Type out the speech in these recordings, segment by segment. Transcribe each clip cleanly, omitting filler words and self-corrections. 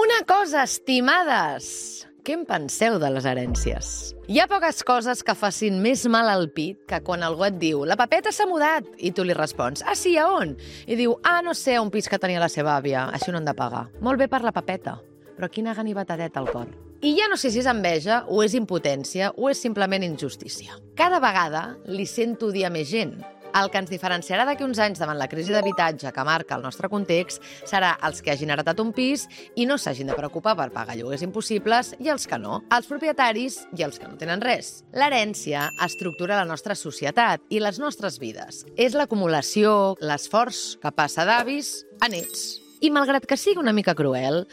Una cosa, estimades! Què en penseu de les herències? Hi ha poques coses que facin més mal al pit que quan algú et diu «La Pepeta s'ha mudat» i tu li respons «Ah, sí, a on?» I diu «Ah, no sé, a un pis que tenia la seva àvia, així no han de pagar». Molt bé per la Pepeta, però quina ganivetadeta al cor. I ja no sé si és enveja, o és impotència, o és simplement injustícia. Cada vegada li sento dir a més gent. El que ens diferenciarà d'aquí uns anys davant la crisi d'habitatge que marca el nostre context serà els que hagin heretat un pis i no s'hagin de preocupar per pagar lloguers impossibles i els que no, els propietaris i els que no tenen res. L'herència estructura la nostra societat i les nostres vides. És l'acumulació, l'esforç que passa d'avis a nets. I malgrat que sigui una mica cruel,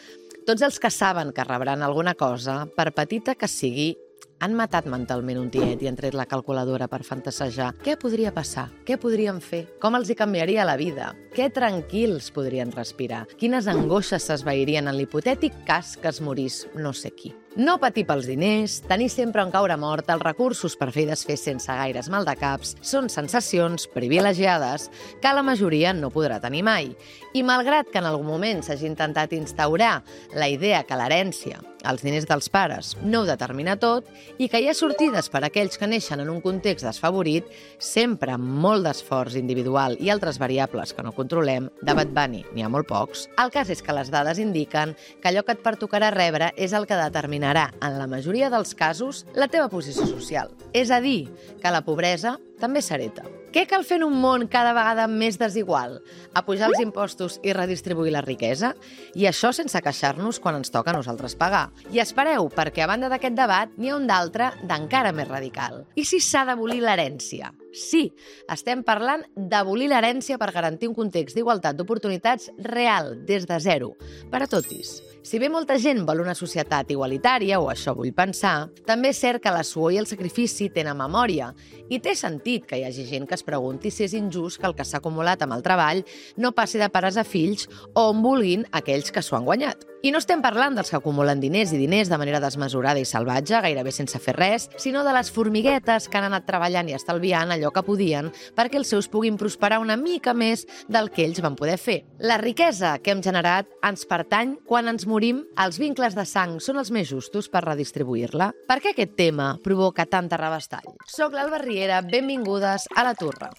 tots els que saben que rebran alguna cosa, per petita que sigui, han matat mentalment un tiet i han tret la calculadora per fantasejar. Què podria passar? Què podrien fer? Com els hi canviaria la vida? Què tranquils podrien respirar? Quines angoixes s'esvairien en l'hipotètic cas que es morís no sé qui? No patir pels diners, tenir sempre on caure mort, els recursos per fer i desfer sense gaires maldecaps són sensacions privilegiades que la majoria no podrà tenir mai. I malgrat que en algun moment s'hagi intentat instaurar la idea que l'herència, els diners dels pares, no ho determina tot i que hi ha sortides per a aquells que neixen en un context desfavorit, sempre amb molt d'esforç individual i altres variables que no controlem, de Bad Bunny n'hi ha molt pocs, el cas és que les dades indiquen que allò que et pertocarà rebre és el que determinarà, en la majoria dels casos, la teva posició social. És a dir, que la pobresa també s'hereta. Què cal fer en un món cada vegada més desigual? Apujar els impostos i redistribuir la riquesa? I això sense queixar-nos quan ens toca a nosaltres pagar. I espereu, perquè a banda d'aquest debat n'hi ha un d'altre d'encara més radical. I si s'ha d'abolir l'herència? Sí, estem parlant d'abolir l'herència per garantir un context d'igualtat d'oportunitats real, des de zero, per a totis. Si bé molta gent vol una societat igualitària, o això vull pensar, també és cert que la suor i el sacrifici tenen memòria, i té sentit que hi hagi gent que es pregunti si és injust que el que s'ha acumulat amb el treball no passi de pares a fills o on vulguin aquells que s'ho han guanyat. I no estem parlant dels que acumulen diners i diners de manera desmesurada i salvatge, gairebé sense fer res, sinó de les formiguetes que han anat treballant i estalviant allò que podien perquè els seus puguin prosperar una mica més del que ells van poder fer. La riquesa que hem generat ens pertany quan ens morim. Els vincles de sang són els més justos per redistribuir-la. Per què aquest tema provoca tanta rabastall? Soc l'Alba Riera, benvingudes a La Turra.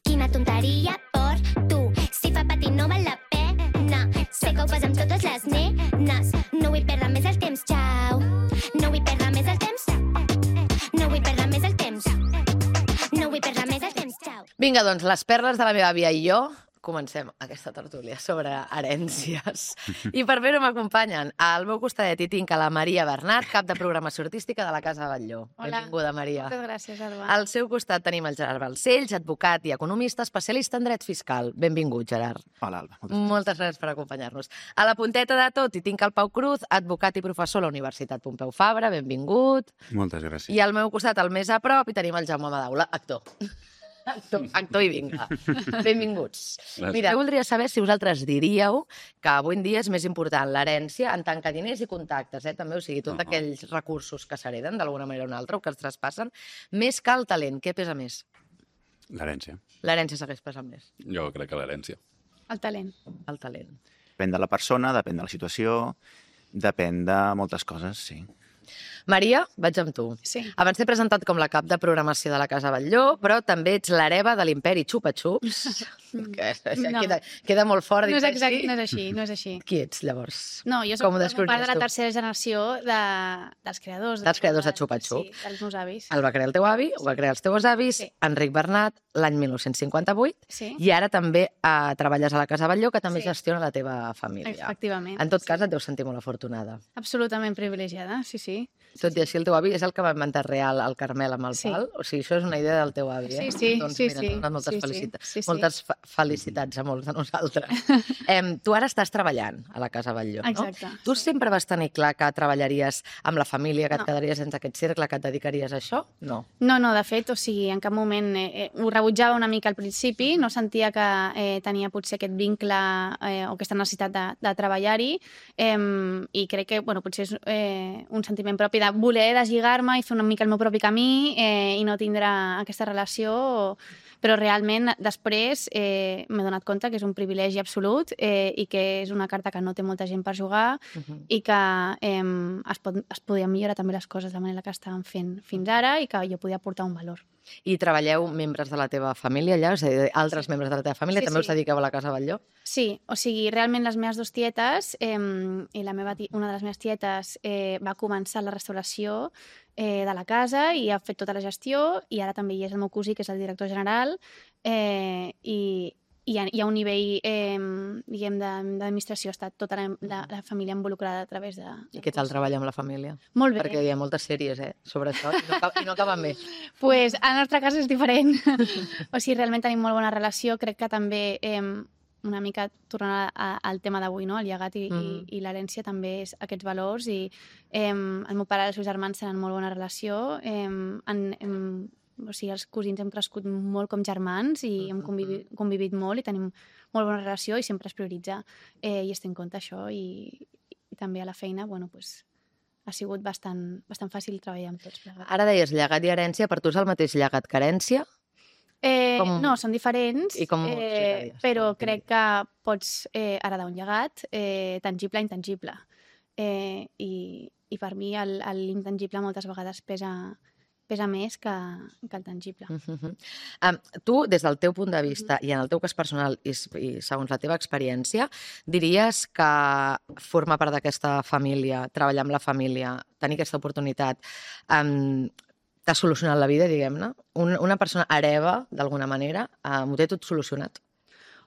Quina tonteria per tu, si fa patir no val la pena. Sé que ho fas amb totes les nenes. No vull perdre més el temps, xau. No vull perdre més el temps. No vull perdre més el temps. No vull perdre més el temps, xau. Vinga, doncs, les perles de la meva àvia i jo comencem aquesta tertúlia sobre herències. I per fer-ho m'acompanyen. Al meu costadet hi tinc a la Maria Bernat, cap de programació artística de la Casa Batlló. Hola. Benvinguda, Maria. Moltes gràcies, Alba. Al seu costat tenim el Gerard Balcells, advocat i economista, especialista en dret fiscal. Benvingut, Gerard. Hola, Alba. Moltes gràcies per acompanyar-nos. A la punteta de tot hi tinc el Pau Cruz, advocat i professor a la Universitat Pompeu Fabra. Benvingut. Moltes gràcies. I al meu costat, al més a prop, hi tenim el Jaume Madaula, actor. Actor i vinga. Benvinguts. Gràcies. Mira, jo voldria saber si vosaltres diríeu que avui en dia és més important l'herència en tant que diners i contactes, també, o sigui, tots aquells recursos que s'hereden d'alguna manera o una altra o que es traspassen, més que el talent. Què pesa més? L'herència. L'herència segueix pesant més. Jo crec que l'herència. El talent. El talent. Depèn de la persona, depèn de la situació, depèn de moltes coses, sí. Maria, vaig amb tu. Sí. Abans t'he presentat com la cap de programació de la Casa Batlló, però també ets l'hereva de l'imperi Xupa-Xups. No. Queda molt fort. No és dir-ho exacte, així. no és així, no és així. Qui ets, llavors? No, jo Com ho soc part de descobriries la tu? tercera generació dels creadors. Dels creadors de Xupa-Xup. Sí, dels meus avis. El va crear el teu avi, ho va crear els teus avis, Sí. Enric Bernat, l'any 1958, Sí. i ara també treballes a la Casa Batlló, que també Sí. gestiona la teva família. Efectivament. En tot cas, et deus sentir molt afortunada. Absolutament privilegiada, sí, sí. Tot i així, el teu avi és el que va inventar real el Carmel amb el Sí. pal? O sigui, això és una idea del teu avi, eh? Sí, sí, doncs, sí, mira, sí. t'han donat moltes Sí, sí. felicitats. Sí, sí. Moltes felicitats a molts de nosaltres. Tu ara estàs treballant a la Casa Batlló, no? Exacte. Tu sempre vas tenir clar que treballaries amb la família, que et No. quedaries sense aquest cercle, que et dedicaries a això? No. No, no, de fet, o sigui, en cap moment ho rebutjava una mica al principi, no sentia que tenia potser aquest vincle o aquesta necessitat de treballar-hi i crec que, bueno, potser és un sentiment propi de voler deslligar-me i fer una mica el meu propi camí i no tindre aquesta relació Però realment, després, m'he donat compte que és un privilegi absolut i que és una carta que no té molta gent per jugar i que es podien millorar també les coses de la manera que estàvem fent fins ara i que jo podia aportar un valor. I treballeu membres de la teva família allà? És a dir, altres membres de la teva família? Sí, També sí. us dediqueu a la Casa Batlló? Sí, o sigui, realment les meves dues tietes i una de les meves tietes va començar la restauració de la casa i ha fet tota la gestió i ara també hi és el meu cosí, que és el director general, i hi ha un nivell, diguem, d'administració. Ha estat tota la família involucrada a través de... I què tal treballar amb la família? Molt bé. Perquè hi ha moltes sèries, sobre això, i no acaben bé. Pues, en el nostre cas és diferent. O sigui, realment tenim molt bona relació. Crec que també, una mica tornant al tema d'avui, no? El llegat i l'herència també és aquests valors. I el meu pare i els seus germans tenen molt bona relació. O sigui, els cosins hem crescut molt com germans i hem convivit molt i tenim molt bona relació i sempre es prioritza i es té en compte això i també a la feina, bueno, pues, ha sigut bastant fàcil treballar amb tots plegats. Ara deies llegat i herència, per tu és el mateix llegat que herència? No, són diferents, I com ho explicaries? però crec que pots heredar un llegat tangible i intangible. I per mi l'intangible moltes vegades pesa més que el tangible. Tu, des del teu punt de vista i en el teu cas personal i segons la teva experiència, diries que formar part d'aquesta família, treballar amb la família, tenir aquesta oportunitat, t'ha solucionat la vida, diguem-ne? Una persona hereva, d'alguna manera, m'ho té tot solucionat?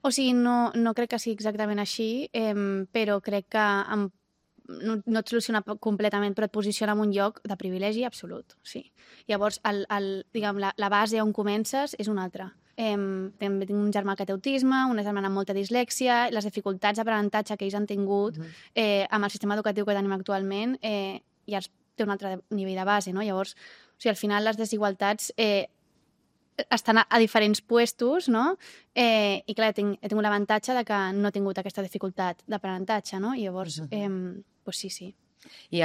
O sigui, no crec que sigui exactament així, però crec que no et soluciona completament, però et posiciona en un lloc de privilegi absolut, sí. Llavors, diguem, la base on comences és una altra. També tinc un germà que té autisme, una germana amb molta dislèxia, les dificultats d'aprenentatge que ells han tingut amb el sistema educatiu que tenim actualment ja té un altre nivell de base, no? Llavors, o sigui, al final les desigualtats estan a diferents puestos, no? I clar, he tingut l'avantatge de que no he tingut aquesta dificultat d'aprenentatge, no? I llavors, pues sí. I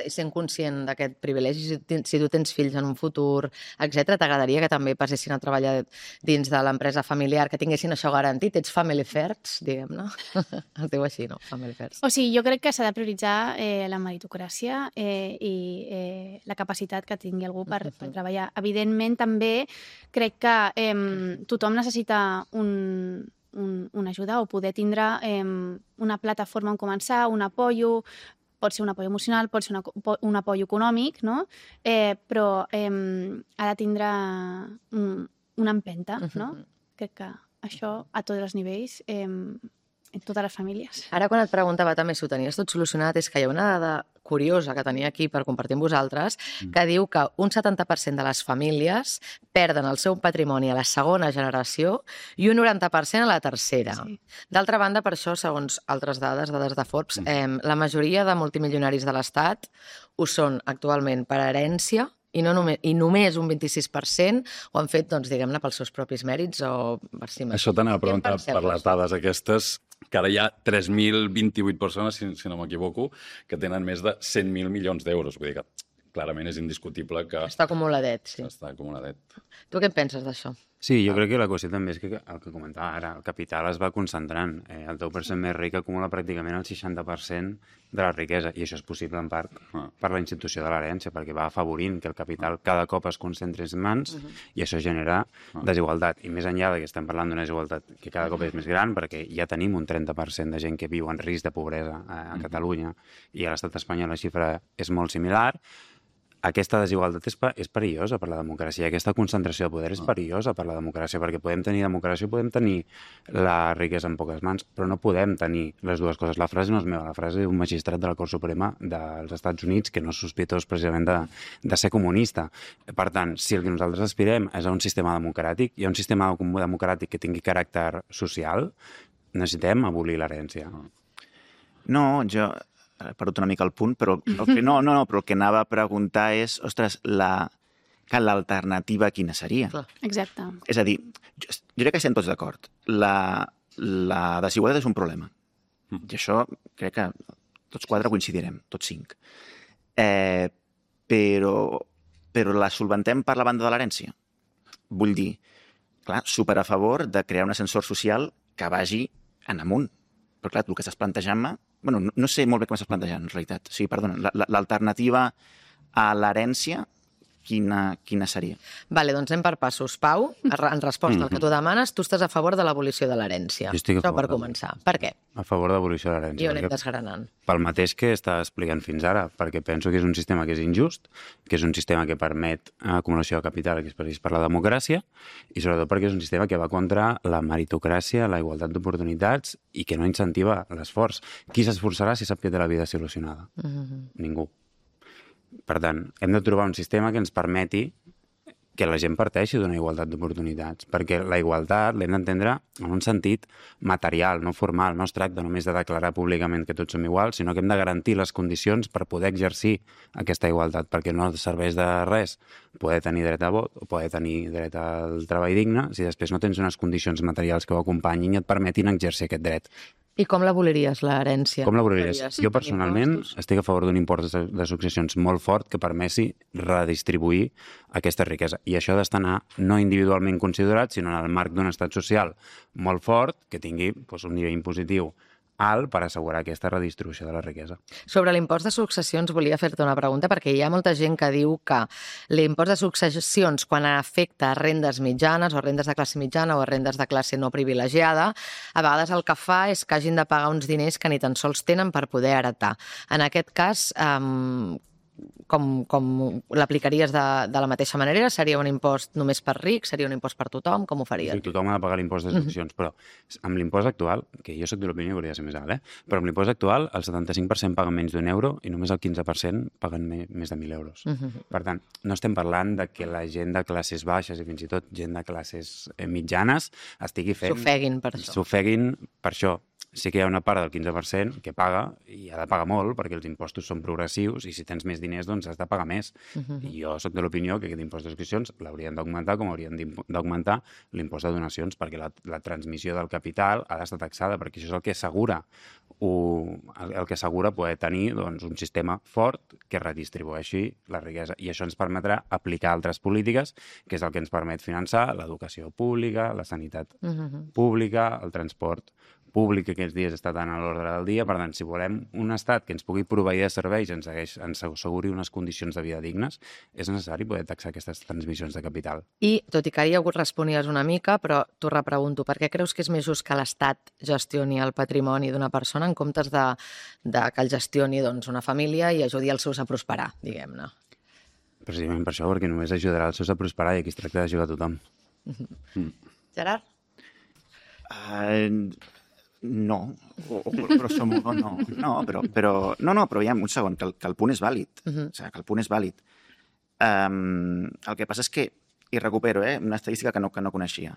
sent conscient d'aquest privilegi, si tu tens fills en un futur, etc., t'agradaria que també passessin a treballar dins de l'empresa familiar, que tinguessin això garantit? Ets family first, diguem-ne? Es diu així, no? Family first. O sigui, jo crec que s'ha de prioritzar la meritocràcia i la capacitat que tingui algú per treballar. Evidentment, també crec que tothom necessita una ajuda o poder tindre una plataforma on començar, un apoyo, pot ser un apoyo emocional, pot ser un apoyo econòmic, no? Però ha de tindre una empenta, no? Crec que això a tots els nivells, en totes les famílies. Ara, quan et preguntava també si ho tenies tot solucionat, és que hi ha una dada curiosa que tenia aquí per compartir amb vosaltres, que diu que un 70% de les famílies perden el seu patrimoni a la segona generació i un 90% a la tercera. Sí. D'altra banda, per això, segons altres dades de Forbes, la majoria de multimilionaris de l'Estat ho són actualment per herència i només un 26% ho han fet, doncs, diguem-ne, pels seus propis mèrits o per si mateix. Això t'anava a preguntar Què en penseu? per les dades aquestes, que ara hi ha 3.028 persones, si no m'equivoco, que tenen més de 100.000 milions d'euros. Vull dir que clarament és indiscutible que Està acumuladet, sí. està acumuladet. Tu què en penses d'això? Sí, jo crec que la qüestió també és que el que comentava ara, el capital es va concentrant. El 10% més ric acumula pràcticament el 60% de la riquesa, i això és possible en part per la institució de l'herència, perquè va afavorint que el capital cada cop es concentri en mans i això genera desigualtat. I més enllà de que estem parlant d'una desigualtat que cada cop és més gran, perquè ja tenim un 30% de gent que viu en risc de pobresa a Catalunya i a l'estat espanyol la xifra és molt similar. Aquesta desigualtat és perillosa per la democràcia. Aquesta concentració de poder és perillosa per la democràcia, perquè podem tenir democràcia, podem tenir la riquesa en poques mans, però no podem tenir les dues coses. La frase no és meva, la frase d'un magistrat de la Cort Suprema dels Estats Units, que no és sospitós precisament de ser comunista. Per tant, si el que nosaltres aspirem és a un sistema democràtic i a un sistema democràtic que tingui caràcter social, necessitem abolir l'herència. No, jo he perdut una mica el punt, però però el que anava a preguntar és, ostres, que l'alternativa quina seria? Clar. Exacte. És a dir, jo crec que estem tots d'acord. La desigualtat és un problema. I això crec que tots quatre coincidirem, tots cinc. Però la solventem per la banda de l'herència. Vull dir, clar, super a favor de crear un ascensor social que vagi en amunt. Però clar, el que estàs plantejant-me... Bueno, no sé molt bé com estàs plantejant, en realitat. Sí, perdona, l'alternativa a l'herència, quina seria? Vale, doncs anem per passos. Pau, en resposta al que tu demanes, tu estàs a favor de l'abolició de l'herència. Jo estic a Això favor per començar. Per què? A favor d'abolició de l'herència. I ho anem desgranant. Pel mateix que està explicant fins ara, perquè penso que és un sistema que és injust, que és un sistema que permet acumulació de capital, que és per la democràcia, i sobretot perquè és un sistema que va contra la meritocràcia, la igualtat d'oportunitats i que no incentiva l'esforç. Qui s'esforçarà si sap que té la vida solucionada? Ningú. Per tant, hem de trobar un sistema que ens permeti que la gent parteixi d'una igualtat d'oportunitats, perquè la igualtat l'hem d'entendre en un sentit material, no formal. No es tracta només de declarar públicament que tots som iguals, sinó que hem de garantir les condicions per poder exercir aquesta igualtat, perquè no serveix de res poder tenir dret a vot o poder tenir dret al treball digne si després no tens unes condicions materials que ho acompanyin i et permetin exercir aquest dret. I com l'aboliries, l'herència? Com l'aboliries? Jo personalment estic a favor d'un impost de successions molt fort que permeti redistribuir aquesta riquesa. I això ha d'estar no individualment considerat, sinó en el marc d'un estat social molt fort que tingui un nivell impositiu alt per assegurar aquesta redistribució de la riquesa. Sobre l'impost de successions volia fer-te una pregunta, perquè hi ha molta gent que diu que l'impost de successions, quan afecta rendes mitjanes o rendes de classe mitjana o rendes de classe no privilegiada, a vegades el que fa és que hagin de pagar uns diners que ni tan sols tenen per poder heretar. En aquest cas, com l'aplicaries de la mateixa manera? Seria un impost només per rics? Seria un impost per tothom? Com ho faries? Sí, tothom ha de pagar l'impost de successions, però amb l'impost actual, que jo soc de l'opinió que hauria de ser més alt, però amb l'impost actual el 75% paguen menys d'€1 i només el 15% paguen més de 1.000 euros. Per tant, no estem parlant de que la gent de classes baixes i fins i tot gent de classes mitjanes estigui fent... S'ofeguin per això. S'ofeguin per això. Sí que hi ha una part del 15% que paga, i ha de pagar molt, perquè els impostos són progressius, i si tens més diners, doncs has de pagar més. I jo soc de l'opinió que aquest impost de successions l'haurien d'augmentar com haurien d'augmentar l'impost de donacions, perquè la transmissió del capital ha d'estar taxada, perquè això és el que assegura poder tenir un sistema fort que redistribueixi la riquesa. I això ens permetrà aplicar altres polítiques, que és el que ens permet finançar l'educació pública, la sanitat pública, el transport públic que aquests dies està tan a l'ordre del dia. Per tant, si volem un estat que ens pugui proveir de serveis i ens asseguri unes condicions de vida dignes, és necessari poder taxar aquestes transmissions de capital. I, tot i que ja responies una mica, però t'ho repregunto, per què creus que és més just que l'Estat gestioni el patrimoni d'una persona en comptes de que el gestioni una família i ajudi els seus a prosperar, diguem-ne? Precisament per això, perquè només ajudarà els seus a prosperar i aquí es tracta d'ajudar a tothom. Gerard? No, grosso modo no. Però ja, un segon, que el punt és vàlid. O sigui, que el punt és vàlid. El que passa és que, i recupero una estadística que no coneixia,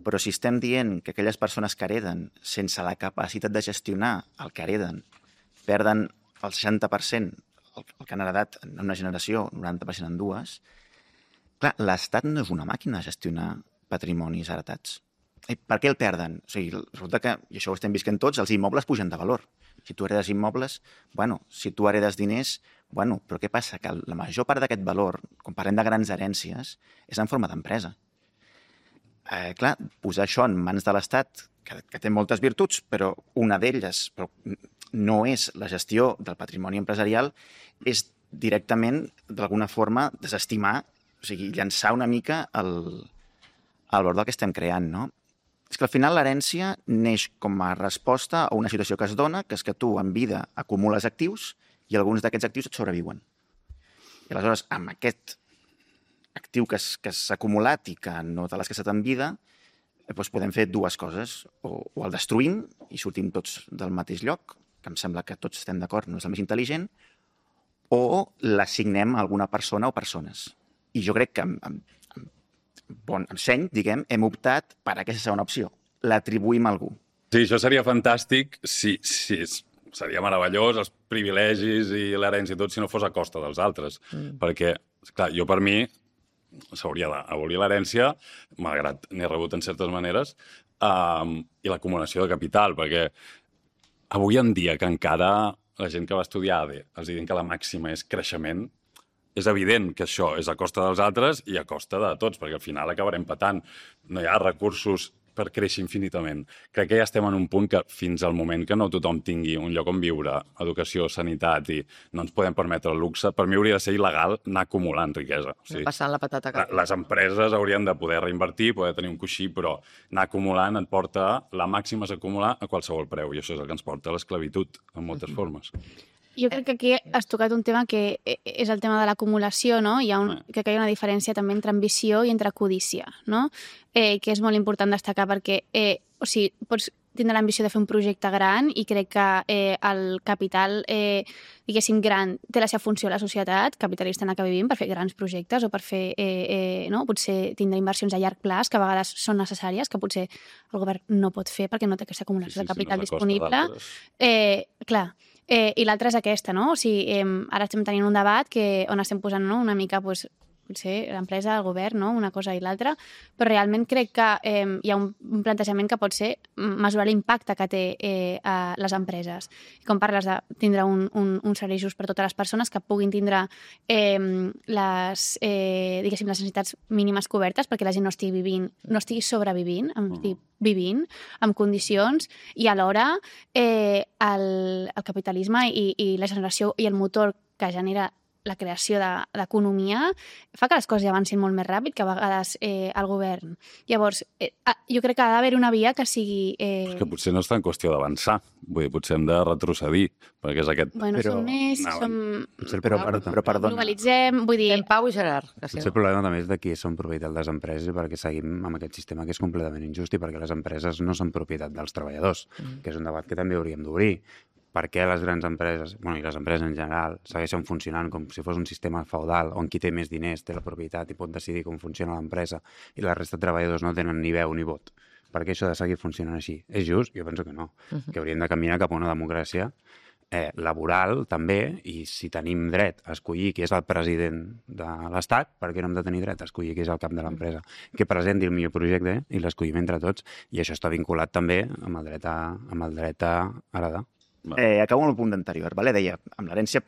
però si estem dient que aquelles persones que hereden, sense la capacitat de gestionar el que hereden, perden el 60%, el que han heredat en una generació, 90% en dues, clar, l'Estat no és una màquina de gestionar patrimonis heretats. I per què el perden? O sigui, resulta que, i això ho estem visquent tots, els immobles pugen de valor. Si tu heredes immobles, si tu heredes diners, però què passa? Que la major part d'aquest valor, quan parlem de grans herències, és en forma d'empresa. Clar, posar això en mans de l'Estat, que té moltes virtuts, però una d'elles no és la gestió del patrimoni empresarial, és directament, d'alguna forma, desestimar, o sigui, llançar una mica el valor del que estem creant, no? És que al final l'herència neix com a resposta a una situació que es dona, que és que tu en vida acumules actius i alguns d'aquests actius et sobreviuen. I aleshores, amb aquest actiu que s'ha acumulat i que no te l'has gastat en vida, podem fer dues coses. O el destruïm i sortim tots del mateix lloc, que em sembla que tots estem d'acord, no és el més intel·ligent, o l'assignem a alguna persona o persones. I jo crec que amb seny, diguem, hem optat per aquesta segona opció. L'atribuïm a algú. Sí, això seria fantàstic, seria meravellós, els privilegis i l'herència i tot, si no fos a costa dels altres. Perquè, clar, per mi, s'hauria d'abolir l'herència, malgrat n'he rebut en certes maneres, i l'acumulació de capital, perquè avui en dia que encara la gent que va estudiar ADE els diuen que la màxima és creixement, és evident que això és a costa dels altres i a costa de tots, perquè al final acabarem patant. No hi ha recursos per créixer infinitament. Crec que ja estem en un punt que fins al moment que no tothom tingui un lloc on viure, educació, sanitat, i no ens podem permetre el luxe, per mi hauria de ser il·legal anar acumulant riquesa. O sigui, Passant la patata calenta. les empreses haurien de poder reinvertir, poder tenir un coixí, però anar acumulant et porta, la màxima és acumular a qualsevol preu, i això és el que ens porta a l'esclavitud, en moltes formes. Jo crec que aquí has tocat un tema que és el tema de l'acumulació, no? Crec que hi ha una diferència també entre ambició i entre codícia, no? Que és molt important destacar perquè, pots tindre l'ambició de fer un projecte gran i crec que el capital, diguéssim, gran té la seva funció a la societat capitalista en la que vivim per fer grans projectes o per fer, potser tindre inversions a llarg plaç que a vegades són necessàries, que potser el govern no pot fer perquè no té aquesta acumulació de capital disponible. Clar. I l'altra és aquesta, no? O sigui, ara estem tenint un debat on estem posant una mica, potser l'empresa, el govern, no? Una cosa i l'altra, però realment crec que hi ha un plantejament que pot ser mesurar l'impacte que té a les empreses. Com parles de tindre un servei just per totes les persones que puguin tindre les necessitats mínimes cobertes perquè la gent no estigui sobrevivint, estigui vivint en condicions i alhora el capitalisme i la generació i el motor que genera la creació d'economia fa que les coses ja avancin molt més ràpid que a vegades el govern. Llavors, jo crec que ha d'haver una via que sigui... És que potser no és tan qüestió d'avançar, vull dir, potser hem de retrocedir, perquè és aquest... Bueno, som més, Però perdona. globalitzem, vull dir... En Pau i Gerard. Potser el problema també és de qui són propietat les empreses perquè seguim amb aquest sistema que és completament injust i perquè les empreses no són propietat dels treballadors, que és un debat que també hauríem d'obrir. Per què les grans empreses, i les empreses en general, segueixen funcionant com si fos un sistema feudal on qui té més diners té la propietat i pot decidir com funciona l'empresa i la resta de treballadors no tenen ni veu ni vot? Per què això ha de seguir funcionant així? És just? Jo penso que no. Que hauríem de caminar cap a una democràcia laboral també, i si tenim dret a escollir qui és el president de l'Estat, per què no hem de tenir dret a escollir qui és el cap de l'empresa? Que presenti el millor projecte i l'escollim entre tots, i això està vinculat també amb el dret a heredar. Acabo amb el punt anterior. Deia, amb l'herència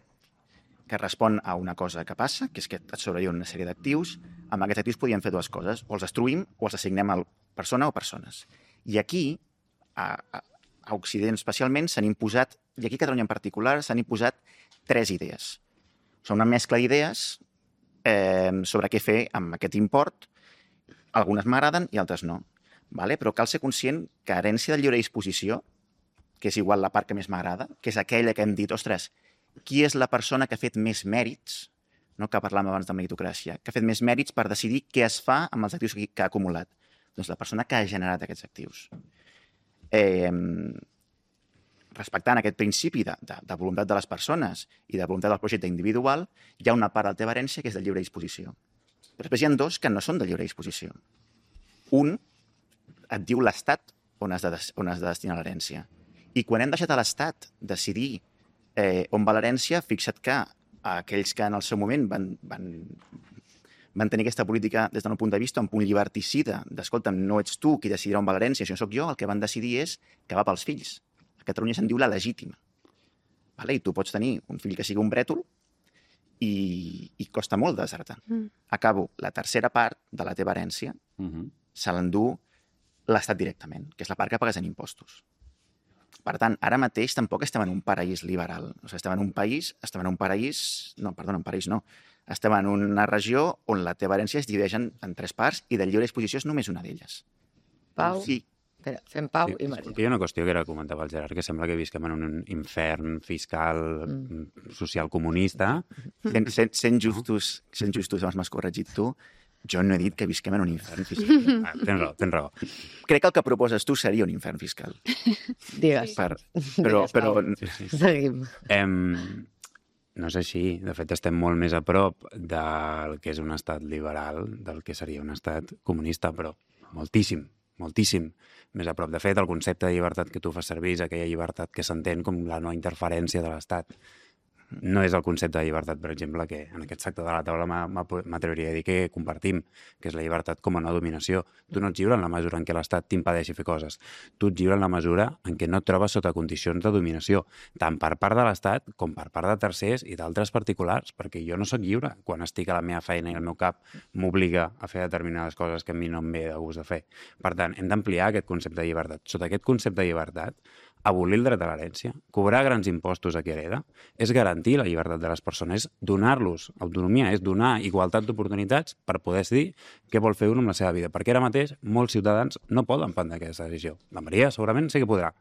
que respon a una cosa que passa, que és que et sobreviuen una sèrie d'actius, amb aquests actius podien fer dues coses, o els destruïm o els assignem a persona o persones. I aquí, a Occident especialment, s'han imposat, i aquí a Catalunya en particular, s'han imposat 3 idees. Són una mescla d'idees sobre què fer amb aquest import. Algunes m'agraden i altres no. Però cal ser conscient que herència de lliure disposició, que és igual la part que més m'agrada, que és aquella que hem dit, ostres, qui és la persona que ha fet més mèrits, no, que parlàvem abans de meritocràcia, que ha fet més mèrits per decidir què es fa amb els actius que ha acumulat? Doncs la persona que ha generat aquests actius. Respectant aquest principi de voluntat de les persones i de voluntat del projecte individual, hi ha una part de la teva herència que és de lliure disposició. Però després hi ha 2 que no són de lliure disposició. Un et diu l'Estat on has de destinar l'herència. I quan hem deixat a l'Estat decidir on va l'herència, fixa't que aquells que en el seu moment van tenir aquesta política des del meu punt de vista un punt lliberticida, d'escolta'm, no ets tu qui decidirà on va l'herència, si no sóc jo, el que van decidir és que va pels fills. A Catalunya se'n diu la legítima. I tu pots tenir un fill que sigui un brètol i costa molt de desertar. Acabo. La tercera part de la teva herència se l'endú l'Estat directament, que és la part que pagues en impostos. Per tant, ara mateix tampoc estem en un paraís liberal. Estem en un paraís... Estem en una regió on la teva herència es divideix en 3 parts i de lliure disposició és només una d'elles. Pau? Sí. Espera, fem Pau i Maria. Hi ha una qüestió que era comentava el Gerard, que sembla que visquem en un infern fiscal social comunista. Sent justos, abans m'has corregit tu, jo no he dit que visquem en un infern fiscal. Tens raó. Crec que el que proposes tu seria un infern fiscal. Digues. Però... Seguim. No és així. De fet, estem molt més a prop del que és un estat liberal, del que seria un estat comunista, però moltíssim més a prop. De fet, el concepte de llibertat que tu fas servir és aquella llibertat que s'entén com la no interferència de l'Estat. No és el concepte de llibertat, per exemple, que en aquest sector de la taula m'atreviria a dir que compartim, que és la llibertat com a no dominació. Tu no ets lliure en la mesura en què l'Estat t'impedeixi fer coses. Tu ets lliure en la mesura en què no et trobes sota condicions de dominació, tant per part de l'Estat com per part de tercers i d'altres particulars, perquè jo no sóc lliure quan estic a la meva feina i el meu cap m'obliga a fer determinades coses que a mi no em ve de gust de fer. Per tant, hem d'ampliar aquest concepte de llibertat. Sota aquest concepte de llibertat, abolir el dret a l'herència, cobrar grans impostos a qui hereda, és garantir la llibertat de les persones, és donar-los autonomia, és donar igualtat d'oportunitats per poder decidir què vol fer un amb la seva vida. Perquè ara mateix molts ciutadans no poden prendre aquesta decisió. La Maria segurament sí que podrà.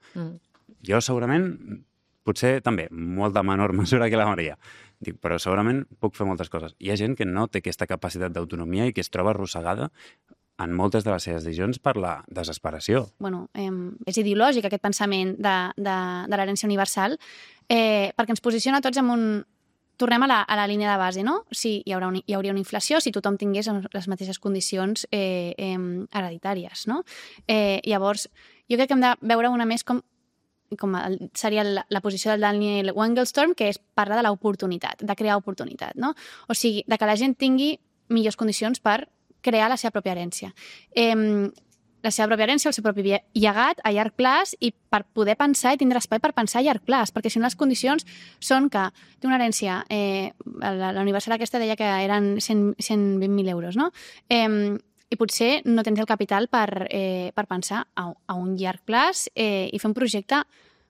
Jo segurament, potser també, molt de menor mesura que la Maria. Dic, però segurament puc fer moltes coses. Hi ha gent que no té aquesta capacitat d'autonomia i que es troba arrossegada en moltes de les seves decisions per la desesperació. Bueno, és ideològic aquest pensament de l'herència universal, perquè ens posiciona tots en un... Tornem a la línia de base, no? Si hi hauria una inflació si tothom tingués les mateixes condicions hereditàries, no? Llavors, jo crec que hem de veure una més com seria la posició del Daniel Wengelstorm, que és parlar de l'oportunitat, de crear oportunitat, no? O sigui, de que la gent tingui millors condicions per crear la seva pròpia herència. La seva pròpia herència, el seu propi llegat a llarg plaç i per poder pensar i tindre espai per pensar a llarg plaç, perquè si no les condicions són que té una herència, la universal aquesta deia que eren 120.000 euros, no? I potser no tens el capital per pensar a un llarg plaç i fer un projecte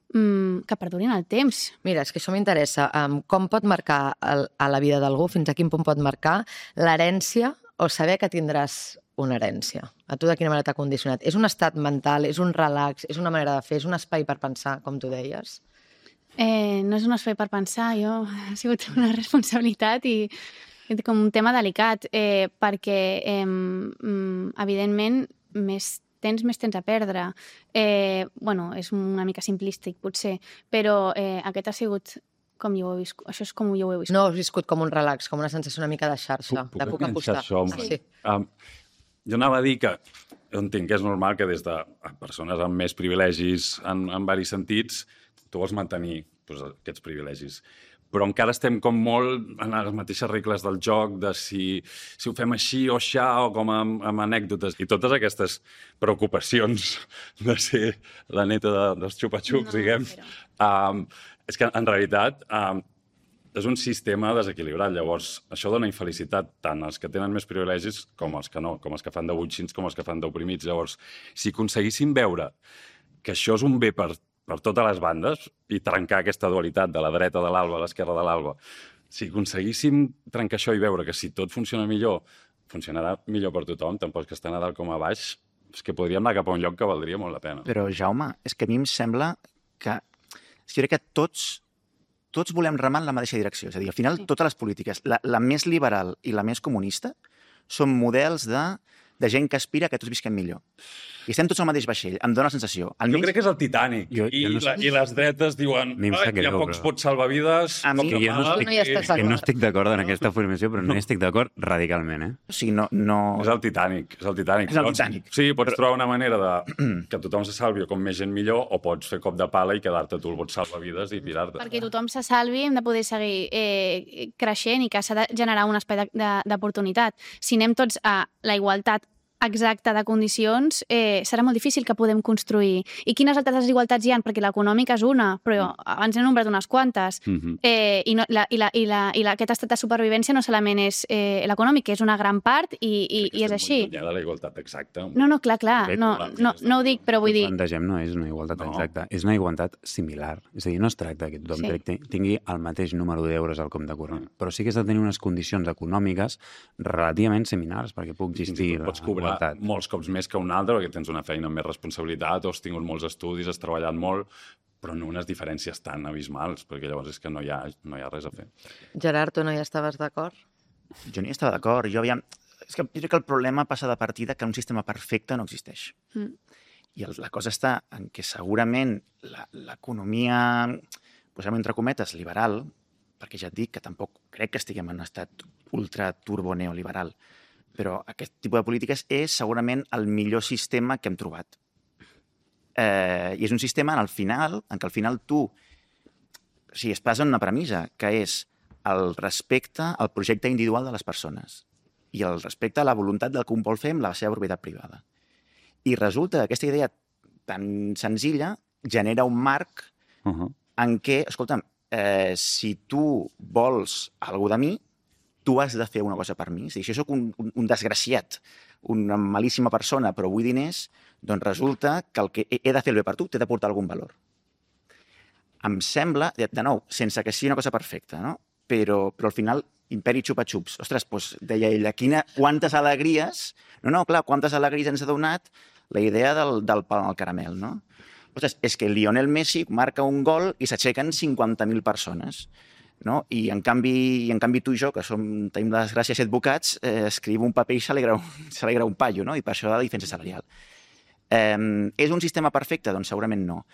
que perduri en el temps. Mira, és que això m'interessa. Com pot marcar a la vida d'algú, fins a quin punt pot marcar l'herència o saber que tindràs una herència? A tu de quina manera t'ha condicionat? És un estat mental, és un relax, és una manera de fer, és un espai per pensar, com tu deies? No és un espai per pensar, ha sigut una responsabilitat i com un tema delicat, perquè evidentment més tens a perdre. Bueno, és una mica simplístic, potser, però aquest ha sigut com jo ho he viscut. Això és com jo ho he viscut. No, has viscut com un relax, com una sensació una mica de xarxa, de puc apostar. Sí. Jo anava a dir que jo entenc que és normal que des de persones amb més privilegis en varis sentits tu vols mantenir aquests privilegis. Però encara estem com molt en les mateixes regles del joc, de si ho fem així o aixà, o com amb anècdotes. I totes aquestes preocupacions de ser la neta dels xupa-xucs, diguem, és que en realitat és un sistema desequilibrat. Llavors, això dona infelicitat tant als que tenen més privilegis com als que no, com els que fan de butxins, com els que fan d'oprimits. Llavors, si aconseguíssim veure que això és un bé per totes les bandes i trencar aquesta dualitat de la dreta de l'alba a l'esquerra de l'alba, si aconseguíssim trencar això i veure que si tot funciona millor, funcionarà millor per tothom, tant pels que estan a dalt com a baix, és que podríem anar cap a un lloc que valdria molt la pena. Però, Jaume, és que a mi em sembla que... Jo crec que tots volem remar en la mateixa direcció. És a dir, al final, totes les polítiques, la més liberal i la més comunista, són models de gent que aspira que tots visquem millor. I estem tots al mateix vaixell, em dona la sensació. Jo crec que és el Titanic. I les dretes diuen hi ha pocs pots salvavides... Que no estic d'acord en aquesta afirmació, però no hi estic d'acord radicalment, eh? O sigui, no... És el Titanic. És el Titanic. Sí, pots trobar una manera que tothom se salvi o com més gent millor, o pots fer cop de pala i quedar-te tu el bots salvavides i pirar-te. Perquè tothom se salvi hem de poder seguir creixent i que s'ha de generar un espai d'oportunitat. Si anem tots a la igualtat exacta de condicions, serà molt difícil que podem construir. I quines altres desigualtats hi ha? Perquè l'econòmica és una, però abans he nombrat unes quantes. I aquest estat de supervivència no solament és l'econòmic, que és una gran part i és així. Hi ha de la igualtat exacta. No, clar. No ho dic, però vull dir... El que plantegem no és una igualtat exacta, és una igualtat similar. És a dir, no es tracta que tothom tingui el mateix número d'euros al compte corrent, però sí que has de tenir unes condicions econòmiques relativament similars perquè pugui existir molts cops més que un altre, perquè tens una feina amb més responsabilitat, o has tingut molts estudis, has treballat molt, però no unes diferències tan abismals, perquè llavors és que no hi ha res a fer. Gerard, tu no hi estaves d'acord? Jo no hi estava d'acord. Jo crec que el problema passa de partida que un sistema perfecte no existeix. I la cosa està en que segurament l'economia, posem entre cometes, liberal, perquè ja et dic que tampoc crec que estiguem en un estat ultra turbo neoliberal, però aquest tipus de polítiques és segurament el millor sistema que hem trobat. I és un sistema en què al final tu es basa en una premissa, que és el respecte al projecte individual de les persones i el respecte a la voluntat del que un vol fer amb la seva propietat privada. I resulta que aquesta idea tan senzilla genera un marc en què, escolta'm, si tu vols alguna de mi, tu has de fer una cosa per mi. Si jo soc un desgraciat, una malíssima persona, però vull diners, doncs resulta que el que he de fer el bé per tu t'he de portar algun valor. Em sembla, de nou, sense que sigui una cosa perfecta, no? Però al final, imperi xupa-xups. Ostres, doncs deia ella, quantes alegries... No, clar, quantes alegries ens ha donat la idea del pa al caramel, no? Ostres, és que Lionel Messi marca un gol i s'aixequen 50.000 persones, no? I en canvi tu i jo, que tenim la desgràcia de ser advocats, escriu un paper i s'alegra un paio, no? I per això la diferència salarial. És un sistema perfecte? Doncs segurament no.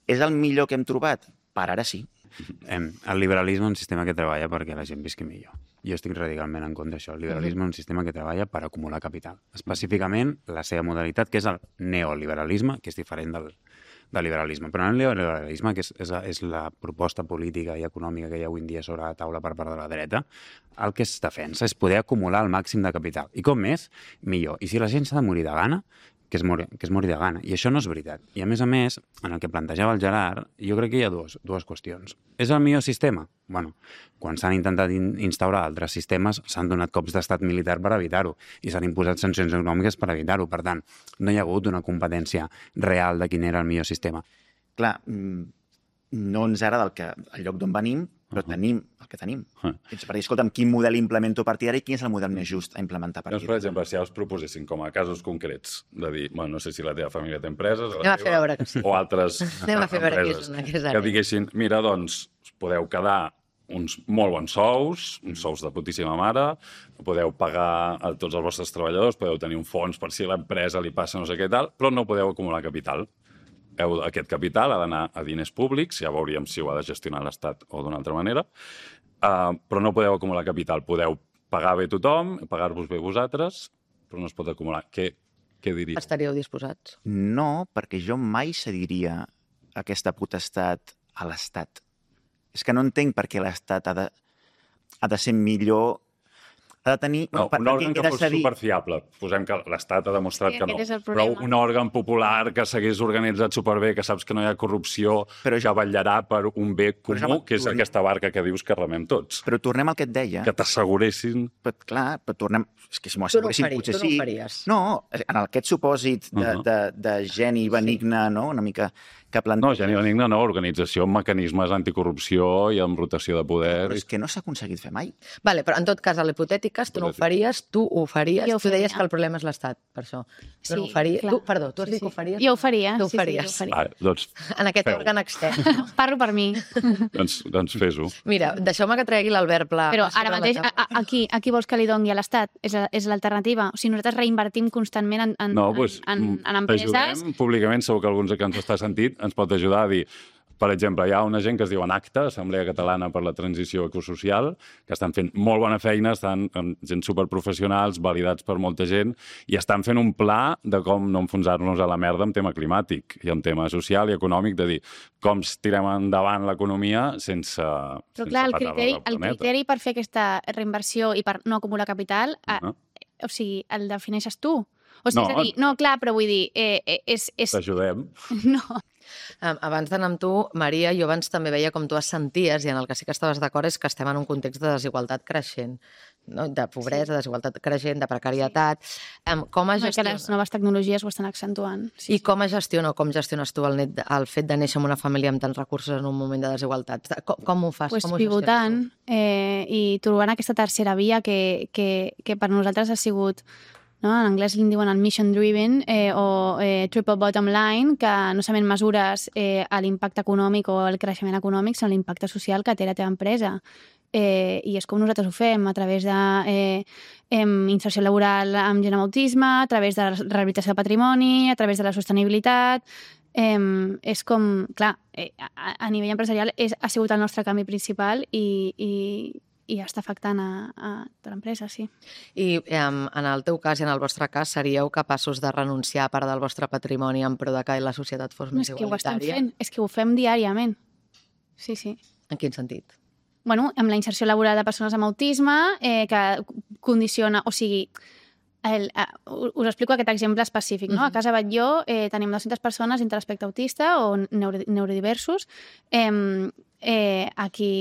És el millor que hem trobat? Per ara sí. El liberalisme és un sistema que treballa perquè la gent visqui millor. Jo estic radicalment en contra d'això. El liberalisme és un sistema que treballa per acumular capital. Específicament, la seva modalitat, que és el neoliberalisme, que és diferent del liberalisme. Però el neoliberalisme, que és la proposta política i econòmica que hi ha avui en dia sobre la taula per part de la dreta, el que es defensa és poder acumular el màxim de capital. I com més, millor. I si la gent s'ha de morir de gana, que es mori de gana. I això no és veritat. I a més, en el que plantejava el Gerard, jo crec que hi ha dues qüestions. És el millor sistema? Bueno, quan s'han intentat instaurar altres sistemes, s'han donat cops d'estat militar per evitar-ho i s'han imposat sancions econòmiques per evitar-ho. Per tant, no hi ha hagut una competència real de quin era el millor sistema. Clar, no ens agrada el lloc d'on venim, però tenim el que tenim. Per dir, escolta'm, quin model implemento a partir d'ara i quin és el model més just a implementar a partir d'ara? Per exemple, si ja us proposessin com a casos concrets de dir, bueno, no sé si la teva família té empreses Anem a fer veure que sí. O altres Anem a fer veure empreses que diguessin, mira, doncs, podeu quedar uns molt bons sous, uns sous de putíssima mare, podeu pagar a tots els vostres treballadors, podeu tenir un fons per si a l'empresa li passa no sé què tal, però no podeu acumular capital. Aquest capital ha d'anar a diners públics, ja veuríem si ho ha de gestionar l'Estat o d'una altra manera, però no podeu acumular capital. Podeu pagar bé tothom, pagar-vos bé vosaltres, però no es pot acumular. Què diries? Estaríeu disposats? No, perquè jo mai cediria aquesta potestat a l'Estat. És que no entenc per què l'Estat ha de ser millor... Ha de tenir... No, un òrgan que fos superfiable. Posem que l'Estat ha demostrat que no. Però un òrgan popular que s'hagués organitzat superbé, que saps que no hi ha corrupció, però ja vetllarà per un bé comú, que és aquesta barca que dius que remem tots. Però tornem al que et deia. Que t'asseguressin... Clar, però tornem... És que si m'ho asseguressin, potser sí. Tu no ho faries. No, en aquest supòsit de geni benigne, no? Una mica que planteja... No, geni benigne no, organització amb mecanismes anticorrupció i amb rotació de poder... Però és que no s'ha aconseguit fer mai. Vale, però en tot cas, a l'hipotètiques, tu no ho faries, tu ho faries. Tu deies que el problema és l'Estat, per això. Tu no ho faries. Perdó, tu has dit que ho faries? Jo ho faria. Tu ho faries. Vale, doncs en aquest òrgan extern. Parlo per mi. Doncs fes-ho. Mira, deixeu-me que tregui l'Albert Pla. Però ara mateix, aquí vols que li doni a l'Estat? És l'alternativa? O sigui, nosaltres reinvertim constantment en empreses... T'ajudem públicament, segur que alguns que ens està sentit ens pot ajudar a dir, per exemple, hi ha una gent que es diu ACTA, Assemblea Catalana per la Transició Ecosocial, que estan fent molt bona feina, estan gent superprofessionals, validats per molta gent, i estan fent un pla de com no enfonsar-nos a la merda en tema climàtic i en tema social i econòmic, de dir com tirem endavant l'economia sense Però clar, el criteri per fer aquesta reinversió i per no acumular capital, o sigui, el defineixes tu. O sigui, és a dir, no, clar, però vull dir... T'ajudem. No. Abans d'anar amb tu, Maria, jo abans també veia com tu es senties, i en el que sí que estaves d'acord és que estem en un context de desigualtat creixent, no? De pobresa, desigualtat creixent, de precarietat. Com que les noves tecnologies ho estan accentuant. I com gestiones tu el fet de néixer en una família amb tants recursos en un moment de desigualtat? Com ho fas? Pivotant i trobant aquesta tercera via que per nosaltres ha sigut... No? En anglès li diuen el mission driven o triple bottom line, que no solament mesures l'impacte econòmic o el creixement econòmic, sinó l'impacte social que té la teva empresa. I és com nosaltres ho fem, a través d'inserció laboral amb gent amb autisme, a través de la rehabilitació de patrimoni, a través de la sostenibilitat. És com, clar, a nivell empresarial ha sigut el nostre canvi principal i està afectant a l'empresa, sí. I en el teu cas i en el vostre cas, seríeu capaços de renunciar a part del vostre patrimoni en pro de que la societat fos més igualitària? És que ho fem diàriament. Sí. En quin sentit? Bueno, amb la inserció laboral de persones amb autisme, que condiciona, o sigui, us explico aquest exemple específic, no? A Casa Batlló tenim 200 persones entre l'aspecte autista o neurodiversos aquí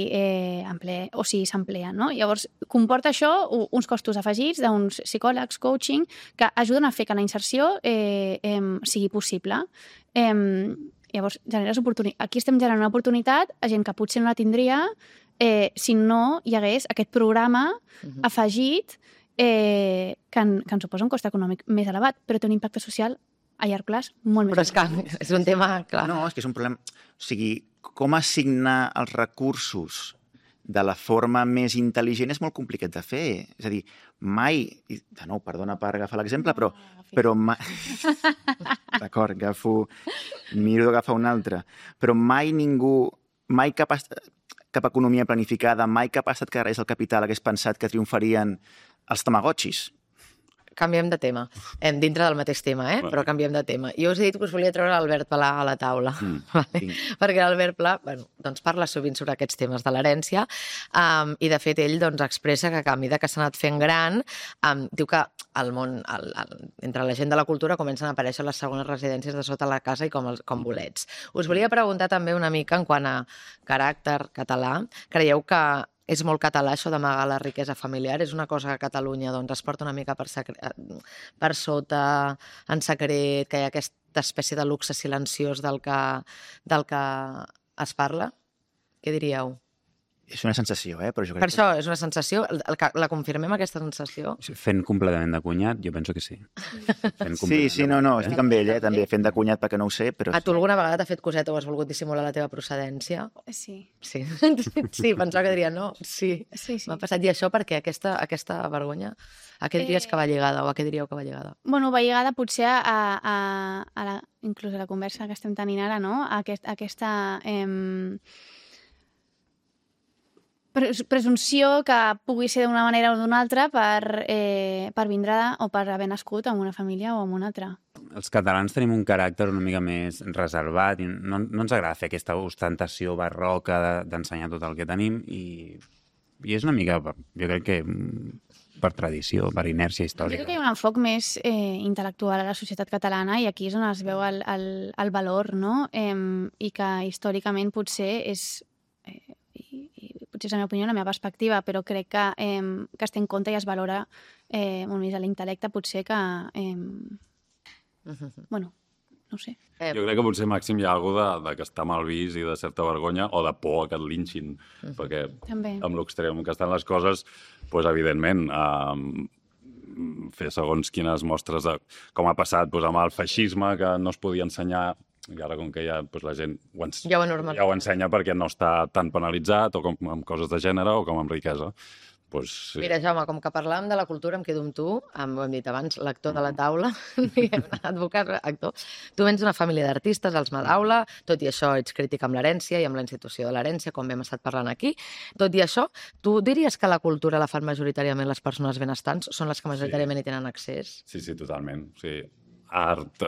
s'empleen, no? Llavors, comporta això uns costos afegits d'uns psicòlegs, coaching, que ajuden a fer que la inserció sigui possible. Llavors, generes oportunitat. Aquí estem generant una oportunitat a gent que potser no la tindria si no hi hagués aquest programa afegit que ens suposa un cost econòmic més elevat, però té un impacte social a llarg plaç molt més Però és que és un tema, clar. No, és que és un problema... O sigui, com assignar els recursos de la forma més intel·ligent és molt complicat de fer. És a dir, mai... De nou, perdona per agafar l'exemple, però mai... D'acord, miro d'agafar un altre. Però mai ningú... Mai cap economia planificada, mai cap estat que agarrés el capital hagués pensat que triomfarien els tamagotxis. Canviem de tema. Dintre del mateix tema, però canviem de tema. Jo us he dit que us volia treure l'Albert Pla a la taula, perquè l'Albert Pla doncs parla sovint sobre aquests temes de l'herència i, de fet, ell expressa que a mesura que s'ha anat fent gran, diu que al món, entre la gent de la cultura, comencen a aparèixer les segones residències de sota la casa i com bolets. Us volia preguntar també una mica en quant a caràcter català. Creieu que és molt català això d'amagar la riquesa familiar? És una cosa que a Catalunya es porta una mica per sota, en secret, que hi ha aquesta espècie de luxe silenciós del que es parla? Què diríeu? És una sensació, però jo crec Per això, és una sensació. La confirmem, aquesta sensació? Fent completament de cunyat, jo penso que sí. Sí, no, estic amb ell, també, fent de cunyat perquè no ho sé, però... A tu alguna vegada t'ha fet coseta o has volgut dissimular la teva procedència? Sí. Sí, pensava que diria no. Sí. M'ha passat. I això perquè aquesta vergonya, a què diries que va lligada o a què diríeu que va lligada? Bueno, va lligada potser inclús a la conversa que estem tenint ara, no? Aquesta presumpció que pugui ser d'una manera o d'una altra per vindre o per haver nascut en una família o en una altra. Els catalans tenim un caràcter una mica més reservat i no ens agrada fer aquesta ostentació barroca d'ensenyar tot el que tenim i és una mica, jo crec que per tradició, per inèrcia històrica. Jo crec que hi ha un enfoc més intel·lectual a la societat catalana i aquí és on es veu el valor, no? I que històricament potser és... potser és la meva opinió, la meva perspectiva, però crec que es té en compte i es valora molt més a l'intel·lecte, potser que... Bueno, no ho sé. Jo crec que potser, Màxim, hi ha alguna de que està mal vist i de certa vergonya o de por a que et linxin, perquè amb l'extrem que estan les coses, doncs, evidentment, fer segons quines mostres de com ha passat amb el feixisme, que no es podia ensenyar, i ara com que ja la gent ja ho ensenya perquè no està tan penalitzat o com amb coses de gènere o com amb riquesa. Sí. Mira, Jaume, com que parlàvem de la cultura, em quedo amb tu, ho hem dit abans, l'actor de la taula, advocat, actor. Tu vens d'una família d'artistes, els Madaula, tot i això ets crític amb l'herència i amb la institució de l'herència, com hem estat parlant aquí. Tot i això, tu diries que la cultura la fan majoritàriament les persones benestants? Són les que majoritàriament hi tenen accés? Sí, totalment. Sí. Art,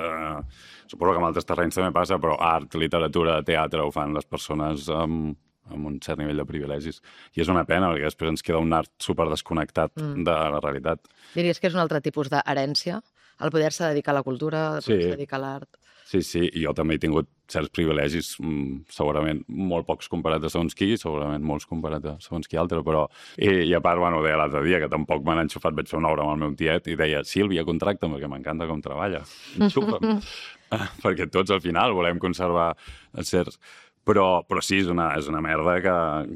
suposo que en altres terrenys també passa, però art, literatura, teatre ho fan les persones amb un cert nivell de privilegis. I és una pena, perquè després ens queda un art superdesconnectat de la realitat. Diries que és un altre tipus d'herència? El poder-se dedicar a la cultura, el poder-se dedicar a l'art? Sí, i jo també he tingut certs privilegis, segurament molt pocs comparat a segons qui, segurament molts comparat a segons qui altre, però... I a part, deia l'altre dia, que tampoc m'han enxufat, vaig fer una obra amb el meu tiet i deia, Sílvia, contracta'm, perquè m'encanta com treballa, enxufa'm. Perquè tots al final volem conservar certs... Però sí, és una merda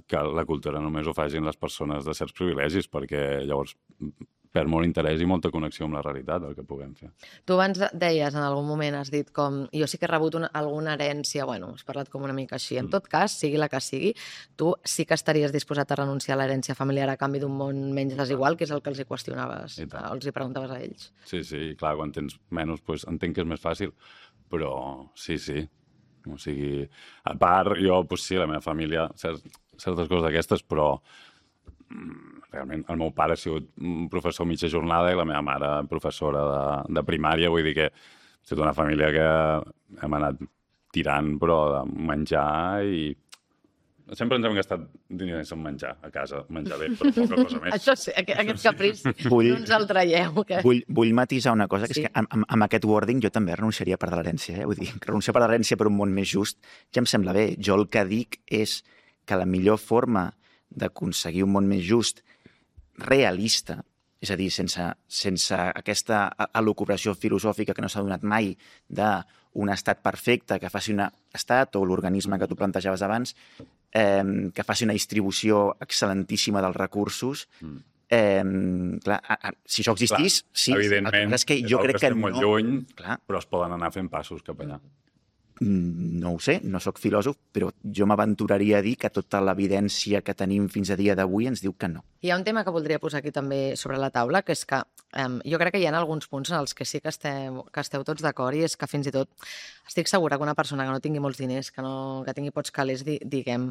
que la cultura només ho facin les persones de certs privilegis, perquè llavors perd molt interès i molta connexió amb la realitat, el que puguem fer. Tu abans deies, en algun moment has dit com... Jo sí que he rebut alguna herència, has parlat com una mica així. En tot cas, sigui la que sigui, tu sí que estaries disposat a renunciar a l'herència familiar a canvi d'un món menys desigual, que és el que els hi qüestionaves, els hi preguntaves a ells. Sí, clar, quan tens menys, entenc que és més fàcil, però sí. O sigui, a part, jo, sí, la meva família, certes coses d'aquestes, però realment el meu pare ha sigut un professor mitja jornada i la meva mare professora de primària, vull dir que ha sigut una família que hem anat tirant, però de menjar i Sempre ens hem gastat diners en menjar a casa, menjar bé, però poca cosa més. Això sí, aquest caprici no ens el traieu. Que... Vull matisar una cosa, que és que amb aquest wording jo també renunciaria a part de l'herència. Vull dir, renunciar a part de l'herència per un món més just ja em sembla bé. Jo el que dic és que la millor forma d'aconseguir un món més just realista, és a dir, sense aquesta elucubració filosòfica que no s'ha donat mai d'un estat perfecte que faci un estat o l'organisme que tu plantejaves abans, que faci una distribució excel·lentíssima dels recursos. Clar, si això existís, sí. Evidentment, és que jo crec que molt lluny, clar, però es poden anar fent passos cap allà. No ho sé, no sóc filòsof, però jo m'aventuraria a dir que tota l'evidència que tenim fins a dia d'avui ens diu que no. Hi ha un tema que voldria posar aquí també sobre la taula, que és que jo crec que hi ha alguns punts en els que sí que esteu tots d'acord, i és que fins i tot estic segura que una persona que no tingui molts diners, que tingui pocs calés, diguem,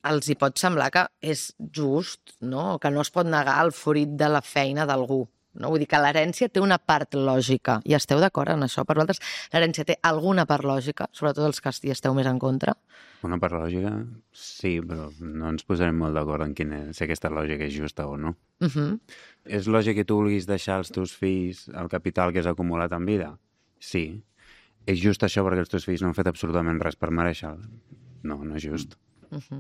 els hi pot semblar que és just, no? Que no es pot negar el fruit de la feina d'algú. No? Vull dir que l'herència té una part lògica, i esteu d'acord en això? Per vosaltres, l'herència té alguna part lògica, sobretot els que hi esteu més en contra? Una part lògica, sí, però no ens posarem molt d'acord en si aquesta lògica és justa o no. És lògic que tu vulguis deixar als teus fills el capital que has acumulat en vida? Sí. És just això perquè els teus fills no han fet absolutament res per mereixer-ho? No, no és just.